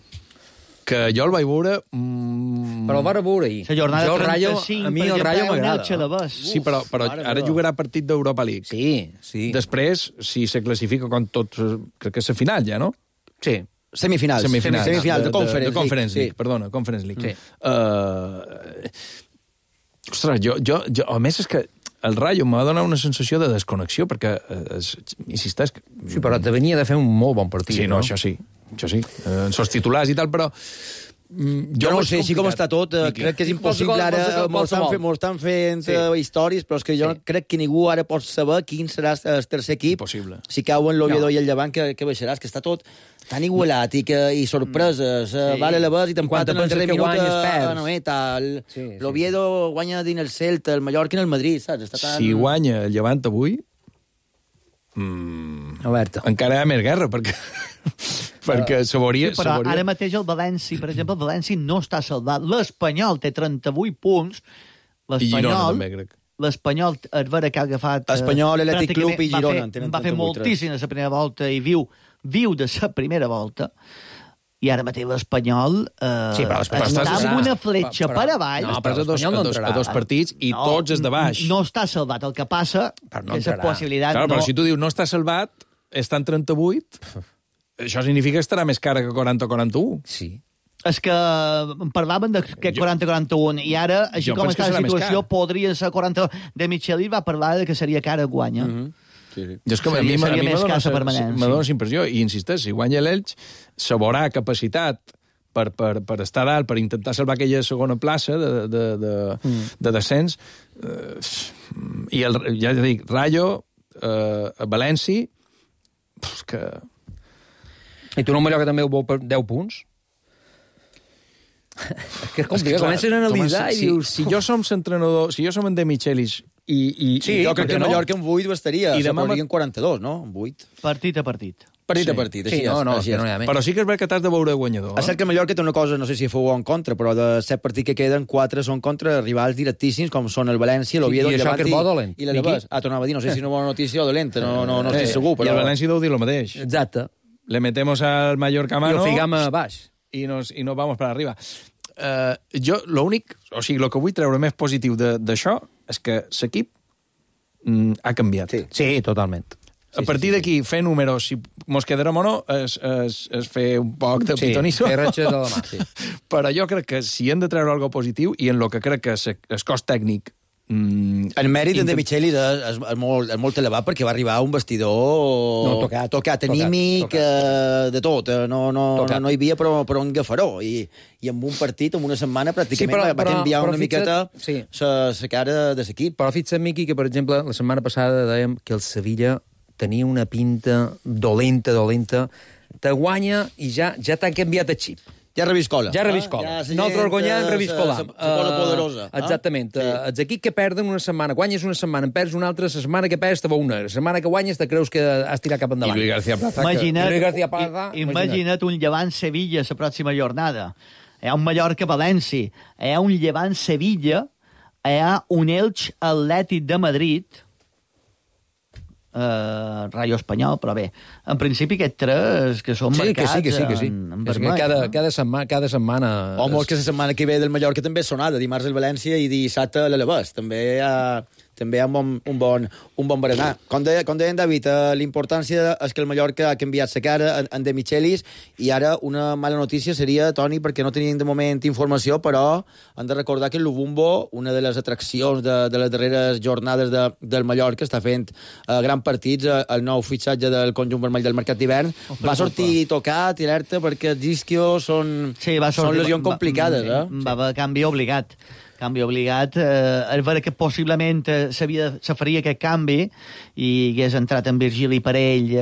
que jo el vaig veure... Però el vaig veure ahir. La jornada 35, a mi el Rayo m'agrada. Sí, però ara jugarà partit d'Europa League. Sí. Després, si se classifica com tots... Crec que és la final ja, no? Sí. Semifinal de Conference League. Perdona, Conference League. Sí. Ostres, jo... A més, és que el Rayo m'ha donat una sensació de desconnexió, perquè, insisteix... Sí, però te venia de fer un molt bon partit, sí, no? Això sí. En sos titulars i tal, però... Jo no sé, així com està tot, crec que és impossible ara, molts estan fent històries, però és que jo crec que ningú ara pot saber quin serà el tercer equip. Impossible. Si cauen l'Oviedo i el Llevant, que baixaràs, que està tot tan igualat i sorpreses, vale la base i t'empaten en el darrer minut l'Oviedo guanya dins el Celta, el Mallorca i el Madrid, saps? Si guanya el Llevant avui, encara hi ha més guerra, perquè s'hauria... Però ara mateix el València, per exemple, el València no està salvat. L'Espanyol té 38 punts. L'Espanyol, és vera que ha agafat... Espanyol, Atlètic Club i Girona. Va fer moltíssim a la primera volta i viu de la primera volta. I ara mateix l'Espanyol està amb una fletxa per avall. No, però a dos partits i tots és de baix. No està salvat. El que passa és la possibilitat... Claro, però si tu dius no està salvat, està en 38... Això significa que estarà més cara que 40 o 41. Sí. És que parlaven de que 40-41 i ara, així com està la situació, podria ser 40... De Micheli va parlar de que seria cara guanya. Sí. És que a mi m'ha donat impressió, i insisteix, si guanya l'Elx, s'haurà capacitat per estar dalt, per intentar salvar aquella segona plaça de descens. I ja dic, Rayo, València, que... I tu no, Mallorca també ho vol per 10 punts? Que és complicat, comences a analitzar i dius... Si jo som l'entrenador, si jo som en De Michelis i sí, jo crec que Mallorca en 8 bastaria, I se demà podrien 42, no? En 8. Partit a partit. Partit a partit, així sí, és. no hi ha més. Però sí que és veritat que t'has de veure guanyador. És cert que Mallorca té una cosa, no sé si fou en contra, però de 7 partits que queden, 4 són contra rivals directíssims, com són el València, l'Oviedo, i el això que és bo dolent. i l'Alavés. Tornava a dir, no sé si una bona notícia o dolenta, no estic segur, però... I el València deu dir el mateix. Exacte. Le metemos al Mallorca a mano... I ho ficam a baix. I nos vamos para arriba. Jo, l'únic... O sigui, el que vull treure més positiu d'això és que l'equip ha canviat. Sí, totalment. A partir d'aquí, fer números, si mos quedarem o no, és fer un poc de pitonisso. Sí, fer ratxes a la mà, sí. Però jo crec que si hem de treure alguna positiu, i en el que crec que el cos tècnic... El mèrit de Michelis és molt elevat perquè va arribar a un vestidor tocat anímic, de tot. No hi havia però un gafaró. I en un partit, en una setmana, pràcticament va canviar una miqueta la cara de l'equip. Però fixa't, Miqui, que, per exemple, la setmana passada dèiem que el Sevilla tenia una pinta dolenta, te guanya i ja t'ha canviat el xip. Ja reviscola. Nosaltres guanyant, reviscolam. La bola poderosa. Exactament. Els equips que perden una setmana, guanyes una setmana, en perds una altra, la setmana que perds te va una. La setmana que guanyes te creus que has tirat cap endavant. I Luis García Plaza. Imagina't un Llevant-Sevilla la pròxima jornada. Hi ha un Mallorca-València, hi ha un Llevant-Sevilla, hi ha un Elx-Atlètic de Madrid, Rayo Espanyol, però bé, en principi aquests 3 que són marcats en vermell. Cada setmana... Home, que la setmana que ve del Mallorca també és sonada, dimarts el València i dissabte l'Alavés. També hi ha un bon berenar. Com deia en David, l'importància és que el Mallorca ha canviat la cara en De Michelis i ara una mala notícia seria, Toni, perquè no tenim de moment informació, però hem de recordar que el Lubumbo, una de les atraccions de les darreres jornades del Mallorca, està fent grans partits, el nou fitxatge del conjunt vermell del mercat d'hivern, va sortir tocat i alerta perquè els isquios són lesions complicades. Va haver canvi obligat. És vera que possiblement se faria aquest canvi i hagués entrat en Virgili per ell,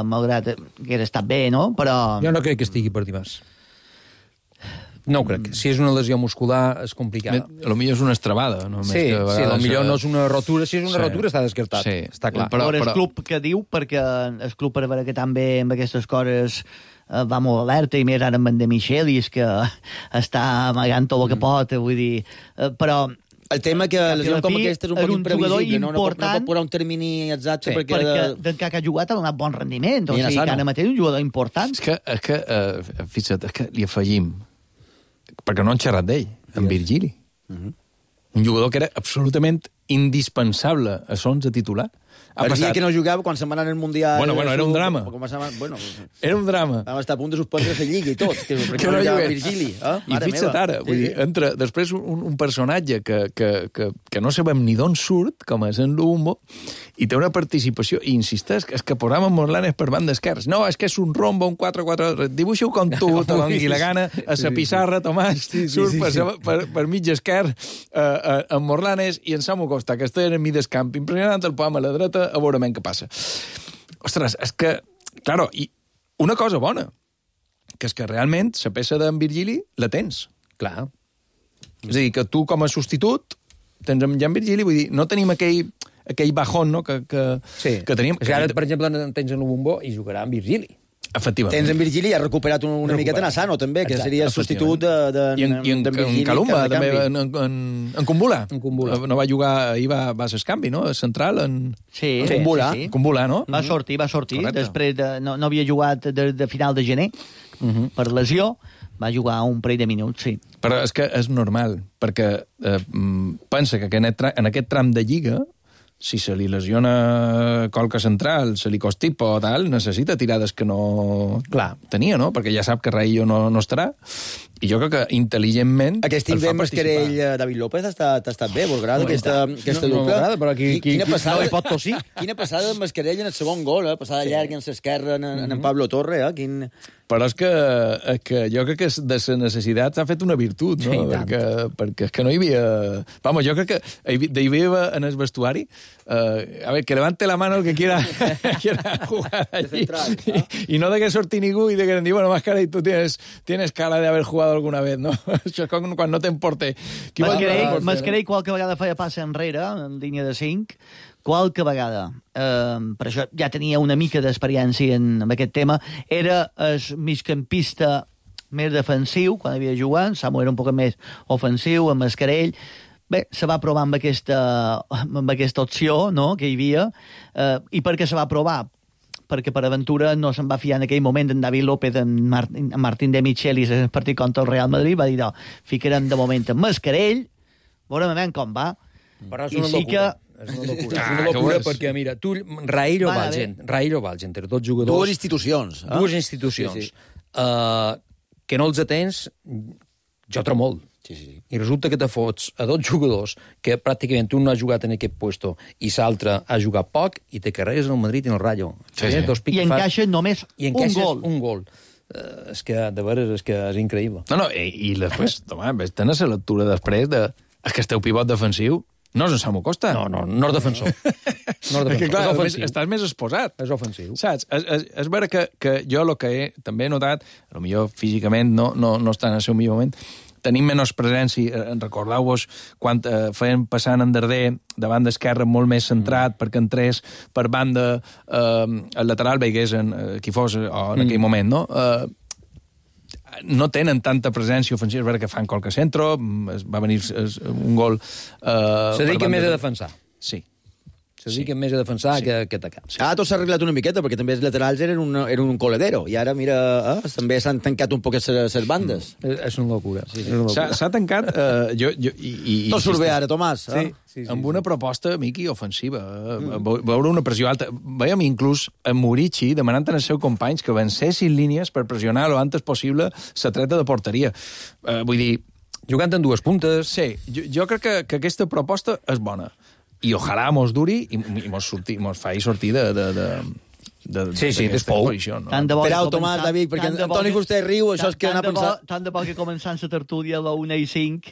malgrat que hagués estat bé, no? Però... Jo no crec que estigui per dimarts. No ho crec. Si és una lesió muscular, és complicat. Potser és una estrabada. Sí, potser no és una rotura. Si és una rotura, està descartat. Sí, està clar. Però el club que diu, perquè el club, per veure que també amb aquestes coses va molt alerta, i més ara amb en De Michelis, que està amagant tot el que pot, vull dir... Però... El tema que lesions com aquesta és un poc imprevisible, no pot posar un termini exacte perquè que ha jugat ha donat bon rendiment, o sigui que ara mateix és un jugador important. És que fixa't, és que li afegim, perquè no han xerrat d'ell, en Virgili. Un jugador que era absolutament indispensable a l'onze titular. El dia que no jugava, quan se'n va anar al Mundial... Bueno, era un drama. Era un drama. Vam estar a punt de suspendre la lliga i tot, perquè no jugava Virgili. I fixa't ara, entra després un personatge que no sabem ni d'on surt, com és en Lubumbo, i té una participació, i insisteix, és que posàvem Morlanes per banda esquerra. No, és que és un rombo, un 4-4... Dibuixa-ho com tu, te doni la gana, a la pissarra, Tomàs, surt per mig esquerra, en Morlanes, i en Samu Costa, que està en mig d'escamp, impressionant el pom a la dreta, a veure què passa. Ostres, és que... Claro, i una cosa bona, que és que realment la peça d'en Virgili la tens. Clar. És a dir, que tu com a substitut tens en Jan Virgili, vull dir, no tenim aquell bajón, no?, que teníem. És que ara, per exemple, tens en Lubumbo i jugarà en Virgili. Efectivament. Tens en Virgili i ha recuperat una miqueta Nassano, també, que seria el substitut d'en Virgili. I en Calumba, també, en Kumbula. No va jugar, ahir va ser canvi, no?, central, en Kumbula, no? Va sortir. Després no havia jugat de final de gener, per lesió, va jugar un parell de minuts, sí. Però és que és normal, perquè pensa que en aquest tram de lliga, si se li lesiona colca central, se li constipa o tal, necessita tirades que no tenia, no? Perquè ja sap que Raillo no estarà. I jo crec que intel·ligentment... Aquest invent Mascarell, David López, ha estat bé, vos agrada aquesta dupla? No m'agrada, però aquí no hi pot tossir. Quina passada de Mascarell en el segon gol, passada llarga en l'esquerra en Pablo Torre, Però és que jo crec que de la necessitat s'ha fet una virtut, no? Sí, perquè és que no hi havia... Vamos, jo crec que hi havia en el vestuari a ver, que levante la mano el que quiera jugar allí. Y no de que sortir ningú y de que digan, bueno, Mascarell, tú tienes cara de haber jugado alguna vez, no? Això és quan no t'emporte. Mascarell qualque vegada feia passa enrere, en línia de 5, qualque vegada. Per això ja tenia una mica d'experiència en aquest tema. Era el migcampista més defensiu, quan havia jugat. Samu era un poc més ofensiu, amb Mascarell. Bé, se va provar amb aquesta opció, no?, que hi havia. I per què se va provar? Perquè per aventura no se'n va fiar en aquell moment en David López, en Martín de Michelis, en el partit contra el Real Madrid, va dir, no, ficarem de moment en Mascarell, veurem com va. Però és una locura. És una locura perquè, mira, tu, Raïl o Valgen, dos jugadors... Dues institucions. Dues institucions. Que no els atens, jo trobo molt. I resulta que te fots a dos jugadors que pràcticament un no ha jugat en aquest puesto i l'altre ha jugat poc i te carregues el Madrid i el Rayo. I encaixa només un gol. És que, de veres, és increïble. No, i després, tens la lectura després de que esteu pivot defensiu. No és en Samu Costa. No és defensor. Perquè, clar, estàs més exposat. És ofensiu. Saps? És vera que jo el que també he notat, potser físicament no està en el seu millor moment, tenim menys presència. Recordeu-vos quan feien passant en Darder davant d'esquerra molt més centrat perquè entrés per banda el lateral veigués qui fos en aquell moment, no? No tenen tanta presència ofensiva, és vera que fan qualque centro, va venir un gol... Se dediquen més a defensar. Sí. Se dediquen més a defensar que atacar. Tot s'ha arreglat una miqueta, perquè també els laterals eren un coladero, i ara, mira, també s'han tancat un poc les bandes. És una locura. S'ha tancat... Tot surt bé ara, Tomàs. Amb una proposta, Miqui, ofensiva. Veure una pressió alta. Veiem inclús a Murici demanant als seus companys que vencessin línies per pressionar lo antes possible la treta de porteria. Vull dir... Jugant en dues puntes... Sí, jo crec que aquesta proposta és bona. I ojalà mos duri i mos faci sortir d'aquesta posició. Esperau, Tomàs, David, perquè Antoni Fuster riu, això és que anar a pensar... Tant de bo que començant la tertúlia a la 1:05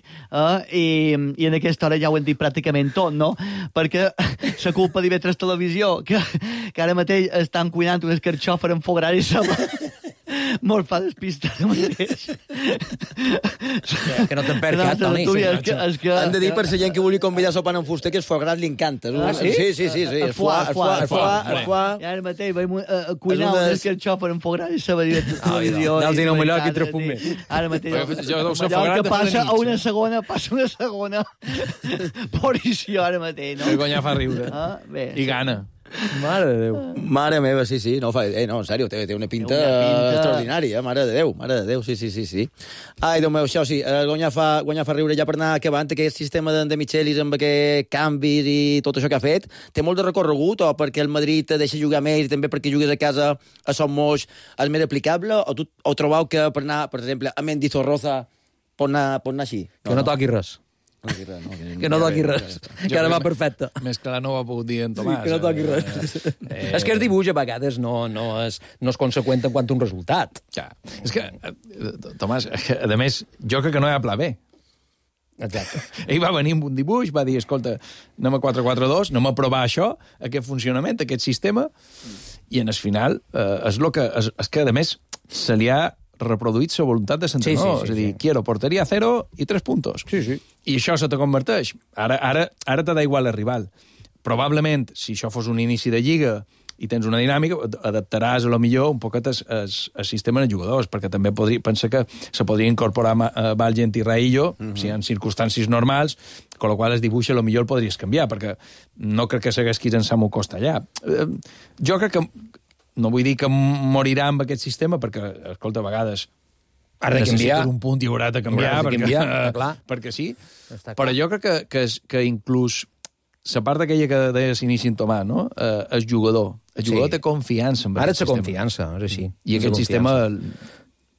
i en aquesta hora ja ho hem dit pràcticament tot, no? Perquè la culpa d'IV3 Televisió, que ara mateix estan cuinant un escarxòfer en fogar i molt fa despistar de mateix. Que no te'n perds cap, Toni. Han de dir per la gent que vulgui convidar a sopar en Fuster que el foie gras li encanta. Sí. El foie. I ara mateix vam cuinar un escarxòfer en foie gras i saber dir televisió. Anals i no Mallorca i 3 punts més. Ara mateix Mallorca passa a una segona posició ara mateix. El guanyar fa riure. I gana. Mare de Déu. Mare meva, sí. No, en sèrio, té una pinta extraordinària, mare de Déu, sí. Ai, Déu meu, això sí, guanyar fa riure ja per anar acabant aquest sistema de Michelis amb aquests canvis i tot això que ha fet. Té molt de recorregut, o perquè el Madrid te deixa jugar més i també perquè jugues a casa a Son Moix és més aplicable, o trobeu que per anar, per exemple, a Mendizorroza pot anar així? Que no toqui res. Que no toqui res. Que ara va perfecte. Més clar no ho ha pogut dir en Tomàs. Que no toqui res. És que el dibuix a vegades no és conseqüent en quant a un resultat. Ja. És que, Tomàs, a més, jo crec que no hi ha pla B. Exacte. Ell va venir amb un dibuix, va dir, escolta, anem a 4-4-2, anem a provar això, aquest funcionament, aquest sistema, i en el final és que, a més, se li ha reproduït la voluntat de l'entrenador. És a dir, quiero porteria 0 i 3 puntos. I això se te converteix. Ara te da igual el rival. Probablement, si això fos un inici de lliga i tens una dinàmica, adaptaràs a lo millor un poquet el sistema de jugadors, perquè també pensa que se podria incorporar Valgent i Raillo, si en circumstàncies normals, con lo qual el dibuix a lo millor el podries canviar, perquè no crec que seguesquis en Samu Costa allà. Jo crec que no vull dir que morirà amb aquest sistema, perquè, escolta, a vegades necessites un punt i haurà de canviar, perquè sí. Però jo crec que inclús la part aquella que deia s'inici en Tomàs, no? El jugador té confiança en aquest sistema. Ara té confiança, és així. I aquest sistema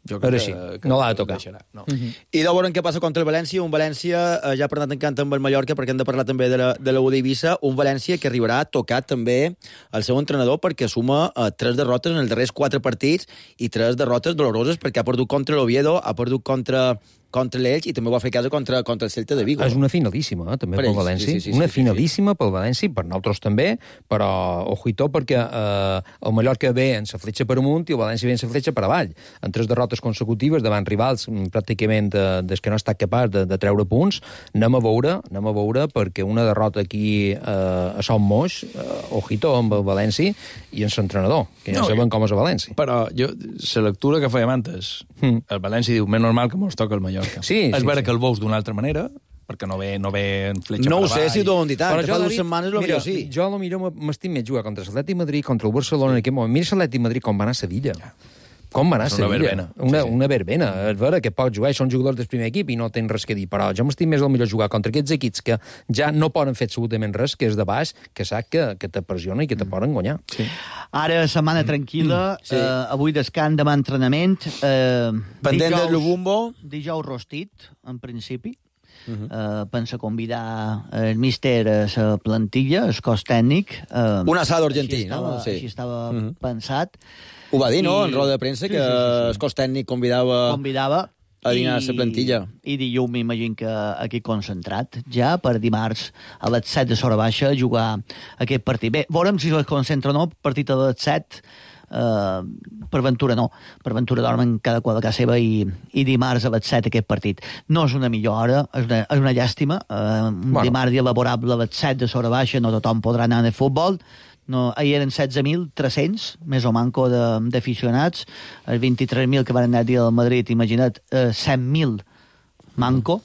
Jo crec que no l'ha de tocar. No. I de veure què passa contra el València, un València ja per tant encanta amb el Mallorca, perquè hem de parlar també de la U d'Eivissa, un València que arribarà tocat també el seu entrenador perquè suma 3 derrotes en els darrers 4 partits i 3 derrotes doloroses perquè ha perdut contra l'Oviedo, ha perdut contra l'Elx i també ho va fer a casa contra el Celta de Vigo. És una finalíssima, també, pel València. Sí, una finalíssima pel València, per nosaltres també, però ojito perquè el Mallorca ve en sa fletxa per amunt i el València ve en sa fletxa per avall. En 3 derrotes consecutives davant rivals pràcticament des que no ha estat capaç de treure punts, anem a veure perquè una derrota aquí a Son Moix, ojito amb el València i en l'entrenador, que ja saben com és el València. Però la lectura que fèiem antes, el València diu, més normal que mos toca el Mallorca. És vera que el veus d'una altra manera, perquè no ve en fletxa per avall. No ho sé si t'ho han dit tant, fa 2 setmanes potser sí. Jo potser m'estim més jugar contra l'Atlètic Madrid, contra el Barcelona en aquest moment. Mira l'Atlètic Madrid com va anar a Sevilla. Com va anar a Sevilla? Una verbena. És vera que pots jugar, són jugadors del primer equip i no tens res que dir, però jo m'estim més el millor jugar contra aquests equips que ja no poden fer absolutament res, que és de baix, que sap que t'apressiona i que te poden guanyar. Sí. Ara, setmana tranquil·la, avui descans, demà entrenament. Pendent del Lubumbo. Dijous rostit, en principi. Pensa convidar el míster a la plantilla, el cos tècnic. Un assado argentí, no? Així estava pensat. Ho va dir, no?, en roda de premsa, que el cos tècnic convidava a dinar a la plantilla. I dilluns m'imagino que aquí concentrat, ja per dimarts a les 7 de l'hora baixa a jugar aquest partit. Bé, veurem si es concentra o no, partit a les 7, per Ventura no. Per Ventura dormen cada qual a casa seva i dimarts a les 7 aquest partit. No és una millor hora, és una llàstima. Dimarts elaborable a les 7 de l'hora baixa, no tothom podrà anar a futbol. No, ahir eren 16.300, més o manco d'aficionats, els 23.000 que van anar a dir al Madrid, imagina't, 100.000 manco,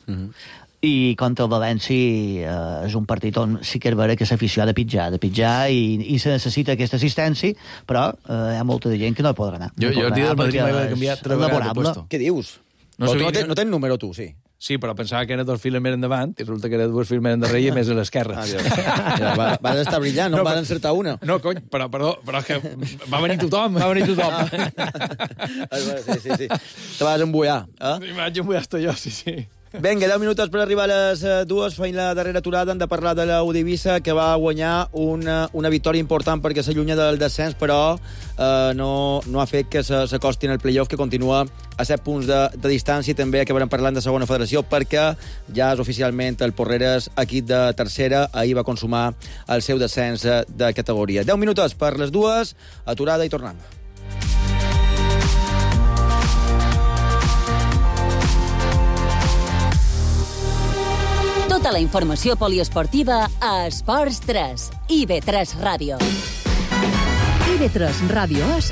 i contra el València és un partit on sí que és vera que l'afició ha de pitjar i se necessita aquesta assistència, però hi ha molta de gent que no hi podrà anar. Jo el dia del Madrid m'he canviat 3 vegades de puesto. Què dius? No tens número tu, sí. Sí, però pensava que eren 2 files més endavant i resulta que eren 2 files més endarrere i més a l'esquerra. Vas estar brillant, no van encertar una. No, cony, però és que va venir tothom. Sí. Te vas embullar. Me vaig embullar jo, sí. Vinga, 10 minuts per arribar a les 2. Feim la darrera aturada. Hem de parlar de la U d'Eivissa, que va guanyar una victòria important perquè s'allunya del descens, però no ha fet que s'acosti en el playoff, que continua a 7 punts de distància. I també acabarem parlant de segona federació, perquè ja és oficialment el Porreres, equip de tercera. Ahir va consumar el seu descens de categoria. 10 minuts per les 2. Aturada i tornem. Tota la informació poliesportiva a Esports 3. IB3 Ràdio. IB3 Ràdio és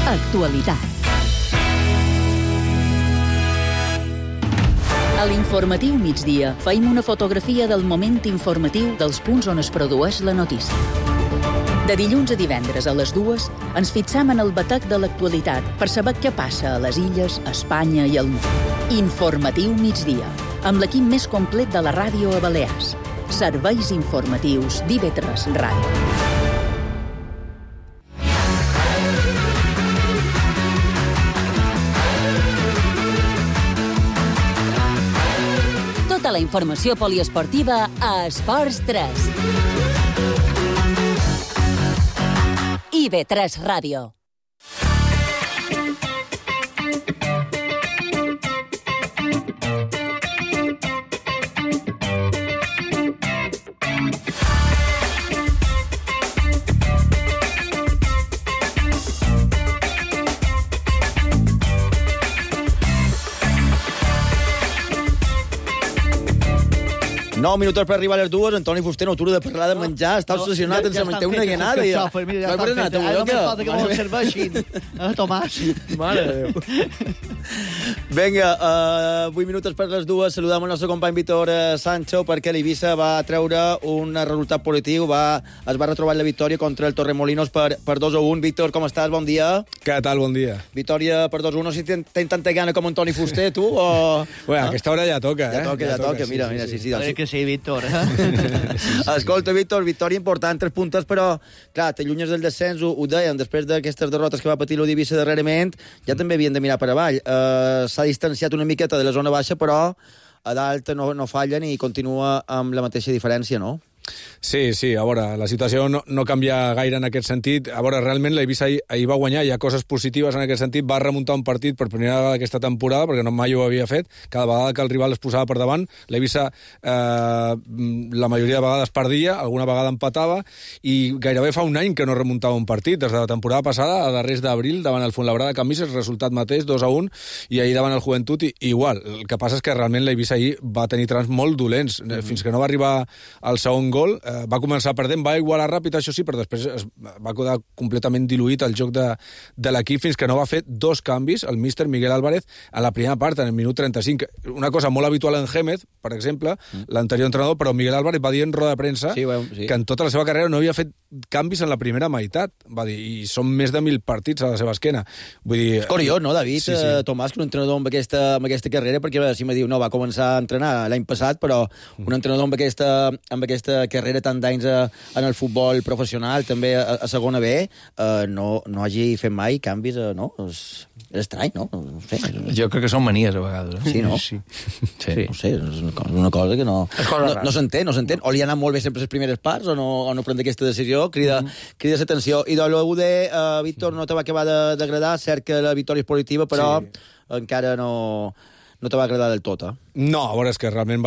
actualitat. A l'informatiu migdia feim una fotografia del moment informatiu dels punts on es produeix la notícia. De dilluns a divendres a les 2 ens fixam en el batec de l'actualitat per saber què passa a les illes, a Espanya i al món. Informatiu migdia, amb l'equip més complet de la ràdio a Balears. Serveis informatius d'IB3 Ràdio. Tota la informació poliesportiva a Esports 3. IB3 Ràdio. Nou minuts per arribar a les 2. Antoni Fuster no atura de parlar de menjar. Està obsessionat en menjar una guinada. Ja està fet. Només falta que me'l serveixin. Tomàs. Mare de Déu. Vinga, 8 minuts per les 2. Saludem el nostre company Víctor Sancho, perquè l'Eivissa va treure un resultat positiu. Es va retrobar la victòria contra el Torremolinos per 2-1. Víctor, com estàs? Bon dia. Què tal? Bon dia. Victòria per 2-1. No sé si tens tanta gana com Antoni Fuster, tu, o... Bueno, a aquesta hora ja toca, Ja toca. Mira, sí. Que sí, Víctor. Escolta, Víctor, victòria important, 3 puntes, però, clar, t'allunyes del descens, ho dèiem, després d'aquestes derrotes que va patir l'Eivissa darrerament, ja també havien de mirar per avall. S'ha distanciat una miqueta de la zona baixa, però a dalt no fallen i continua amb la mateixa diferència, no? Sí, a veure, la situació no canvia gaire en aquest sentit. A veure, realment l'Eivissa ahir va guanyar, hi ha coses positives en aquest sentit, va remuntar un partit per primera vegada aquesta temporada, perquè no mai ho havia fet, cada vegada que el rival es posava per davant, l'Eivissa la majoria de vegades perdia, alguna vegada empatava, i gairebé fa un any que no remuntava un partit, des de la temporada passada, a darrers d'abril, davant el Fuenlabrada Camises, resultat mateix, 2-1, i ahir davant el Joventut, igual. El que passa és que realment l'Eivissa ahir va tenir trams molt dolents, fins que no va arribar al segon gol, va començar perdent, va igualar ràpid, això sí, però després va quedar completament diluït el joc de l'equip fins que no va fer 2 canvis, el míster Miguel Álvarez, a la primera part, en el minut 35. Una cosa molt habitual en Gémez, per exemple, l'anterior entrenador, però Miguel Álvarez va dir en roda de premsa que en tota la seva carrera no havia fet canvis en la primera meitat, va dir, i són més de 1.000 partits a la seva esquena. Vull dir... És curiós, no, David? Sí. Tomàs, que un entrenador amb aquesta carrera, perquè si me diu, no, va començar a entrenar l'any passat, però un entrenador amb aquesta carrera tant d'anys en el futbol professional, també a segona B, no hagi fet mai canvis, no? És estrany, no? No sé. Jo crec que són manies, a vegades. Sí, no? Sí. No sé, és una cosa que no s'entén. O li ha anat molt bé sempre les primeres parts, o no prendre aquesta decisió, crida l'atenció. I de l'UD, Víctor, no te va acabar d'agradar, cert que la victòria és positiva, però encara no te va agradar del tot, No, a veure, és que realment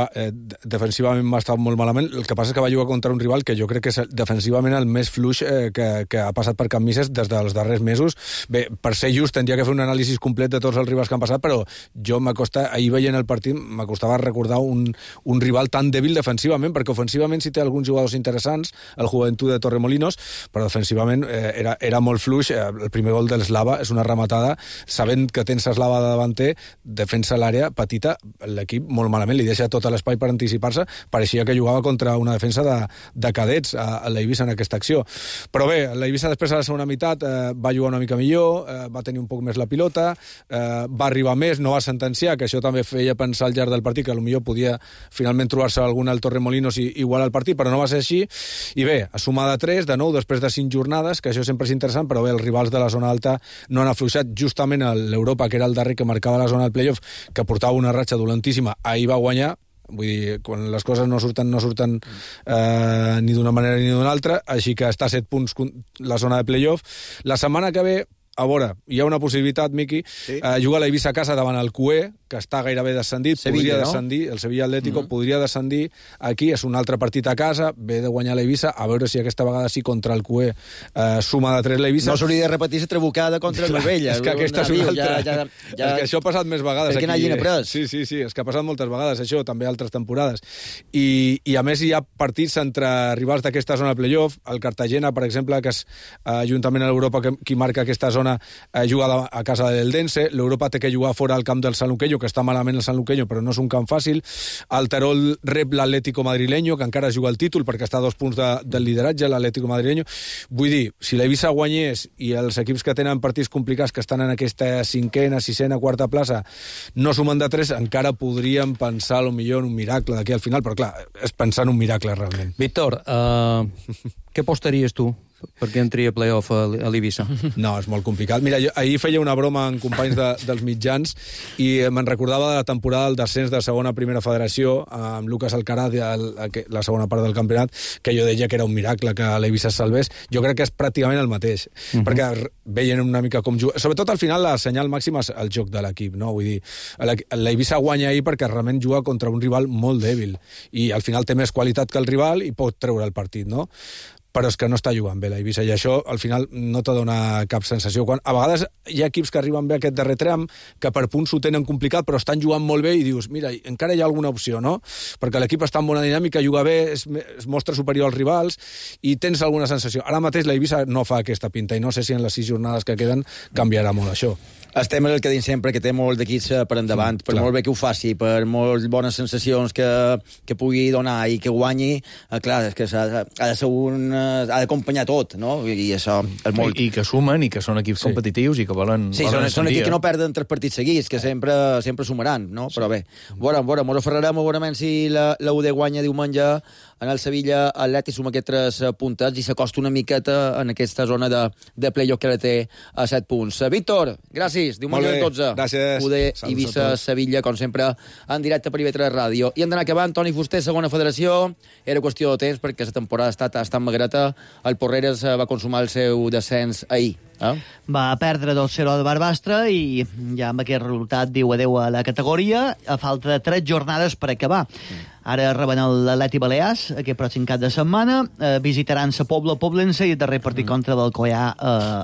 defensivament va estar molt malament. El que passa és que va jugar contra un rival que jo crec que és defensivament el més fluix que ha passat per Can Misses des dels darrers mesos. Bé, per ser just, tindria que fer un anàlisi complet de tots els rivals que han passat, però jo ahir veient el partit m'acostava recordar un rival tan dèbil defensivament, perquè ofensivament sí té alguns jugadors interessants, el Joventut de Torremolinos, però defensivament era molt fluix. El primer gol de l'Eslava és una rematada, sabent que tens Eslava de davanter, defensa l'àrea petita, l'equip molt malament, li deixa tot l'espai per anticipar-se, pareixia que jugava contra una defensa de cadets a l'Eivissa en aquesta acció. Però bé, l'Eivissa després a la segona meitat va jugar una mica millor, va tenir un poc més la pilota, va arribar més, no va sentenciar, que això també feia pensar al llarg del partit que potser podia finalment trobar-se algun al Torremolinos i igualar el partit, però no va ser així. I bé, a sumar de 3, de 9, després de 5 jornades, que això sempre és interessant, però bé, els rivals de la zona alta no han afluixat. Justament l'Europa, que era el darrer que marcava la zona del playoff, que portava una ratxa dolentíssima, ahir va guanyar. Vull dir, quan les coses no surten ni d'una manera ni d'una altra, així que està a 7 punts la zona de playoff. La setmana que ve, a veure, hi ha una possibilitat, Miqui, juga l'Eivissa a casa davant el QE, que està gairebé descendit, podria descendir, el Sevilla Atlético podria descendir aquí, és un altre partit a casa, ve de guanyar l'Eivissa, a veure si aquesta vegada sí contra el QE suma de 3 l'Eivissa. No s'hauria de repetir la trabucada contra el Novella. És que aquesta és una altra. És que això ha passat més vegades. Perquè n'hagin après. Sí, és que ha passat moltes vegades, això, també altres temporades. I a més hi ha partits entre rivals d'aquesta zona de playoff, el Cartagena, per exemple, que és juntament a l'Europa qui marca aquesta zona, juga a casa del Dense, l'Europa té que jugar fora al camp del Sanluqueño, que està malament el Sanluqueño, però no és un camp fàcil. El Terol rep l'Atlético Madrileño, que encara juga el títol, perquè està a 2 punts del lideratge, l'Atlético Madrileño. Vull dir, si l'Eivissa guanyés i els equips que tenen partits complicats, que estan en aquesta 5ª, 6ª, 4ª plaça, no sumen de 3, encara podríem pensar potser en un miracle d'aquí al final, però clar, és pensar en un miracle realment. Víctor, què apostaries tu perquè entri a playoff a l'Eivissa? No, és molt complicat. Mira, jo ahir feia una broma amb companys dels mitjans i me'n recordava de la temporada del descens de segona a primera federació amb Lucas Alcaraz, la segona part del campionat, que jo deia que era un miracle que l'Eivissa es salvés. Jo crec que és pràcticament el mateix, perquè veien una mica com juga. Sobretot al final la senyal màxima és el joc de l'equip, no? Vull dir, l'Eivissa guanya ahir perquè realment juga contra un rival molt dèbil i al final té més qualitat que el rival i pot treure el partit, no? Però és que no està jugant bé l'Eivissa, i això al final no te dona cap sensació. A vegades hi ha equips que arriben bé a aquest darrer tram, que per punts ho tenen complicat, però estan jugant molt bé i dius, mira, encara hi ha alguna opció, no? Perquè l'equip està en bona dinàmica, juga bé, es mostra superior als rivals i tens alguna sensació. Ara mateix l'Eivissa no fa aquesta pinta i no sé si en les 6 jornades que queden canviarà molt això. Estem el que dic sempre, que té molt d'equips per endavant, per molt bé que ho faci, per molt bones sensacions que pugui donar i que guanyi, clar, és que ha de ser ha d'acompanyar tot, no? I això és molt... I que sumen, i que són equips competitius, i que volen... Sí, són equips que no perden 3 partits seguits, que sempre sumaran, no? Però bé, veurem, mos aferrarem segurament si la UD guanya diumenge en el Sevilla Atleti, suma aquests 3 puntes i s'acosta una miqueta en aquesta zona de playoff que la té a 7 punts. Víctor, gràcies. Diumenge a 12. Gràcies. UD, Eivissa, Sevilla, com sempre, en directe per IB3 Ràdio. I hem d'anar acabant. Toni Fuster, segona federació. Era qüestió de temps perquè la temporada ha estat magreta. El Porreres va consumar el seu descens ahir. Va perdre 2-0 de Barbastre i ja amb aquest resultat diu adeu a la categoria a falta de 3 jornades per acabar. Ara reben l'Atleti Balears aquest pròxim cap de setmana, visitaran la Poblense i el darrer partit contra l'Alcoià.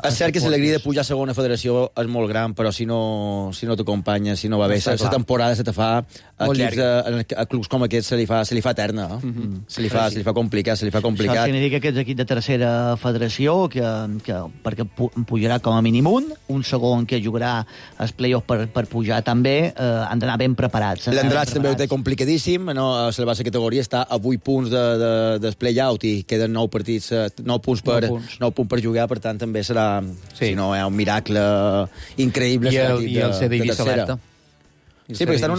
És cert que l'alegria de pujar a segona federació és molt gran, però si no t'acompanya, si no va bé, la temporada se te fa a clubs com aquests se li fa eterna. Se li fa complicat. Això significa que és equip de tercera federació perquè pujarà com a mínim un segon que jugarà els play-offs per pujar també, han d'anar ben preparats. L'Andratx també ho té complicadíssim, no? La base categoria està a 8 punts del play-out i queden 9 partits, 9 punts per jugar, per tant també serà, si no, un miracle increïble. I el CDI s'alerta. Sí, perquè està en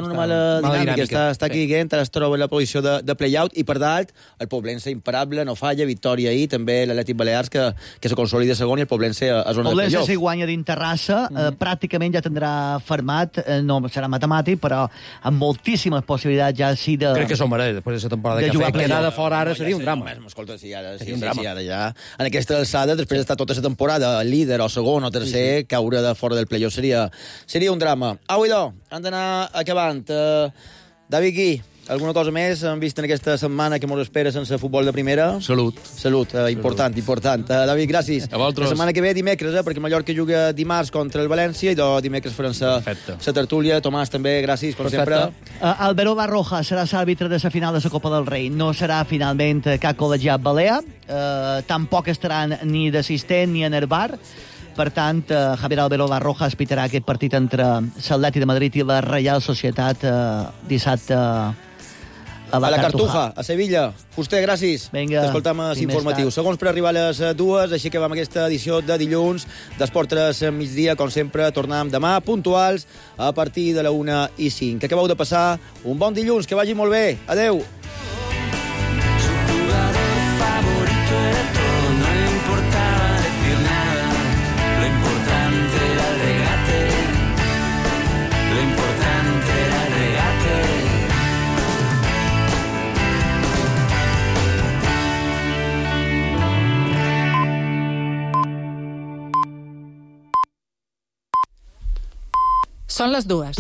una mala dinàmica. Està aquí Gent, ara es troba en la posició de play-out i per dalt el Poblense imparable, no falla, victòria ahir, també l'Atlètic Balears que se consolida segon i el Poblense a zona de play-off. Poblense si guanya dins Terrassa, pràcticament ja tindrà fermat, no serà matemàtic, però amb moltíssimes possibilitats ja sí de... Crec que s'ho mereix, després de la temporada que ha fet. Quedar de fora ara seria un drama. Escolta, si ara ja en aquesta alçada, després d'estar tota la temporada líder o segon o tercer, caure de fora del play-off seria un drama. Au, idò, han d'anar acabant. David Gui, alguna cosa més hem vist en aquesta setmana que mos espera sense futbol de primera? Salut. Important. David, gràcies. A vosaltres. La setmana que ve dimecres, perquè Mallorca juga dimarts contra el València i dimecres faran la tertúlia. Tomàs, també, gràcies, com sempre. Álvaro Barroja serà l'àrbitre de la final de la Copa del Rei. No serà finalment cap col·legiat balear. Tampoc estaran ni d'assistent ni en el bar. Per tant, Javier Álvaro Barroja pitarà aquest partit entre l'Atlètic de Madrid i la Reial Societat dissabte a la Cartuja, a Sevilla. Fuster, gràcies. Vinga. T'escoltam els informatius. Segons per arribar a les 2, així que vam aquesta edició de dilluns d'Esport 3 migdia. Com sempre, tornem demà puntuals a partir de la 1:05. Que acabeu de passar un bon dilluns, que vagi molt bé. Adeu. Són les 2.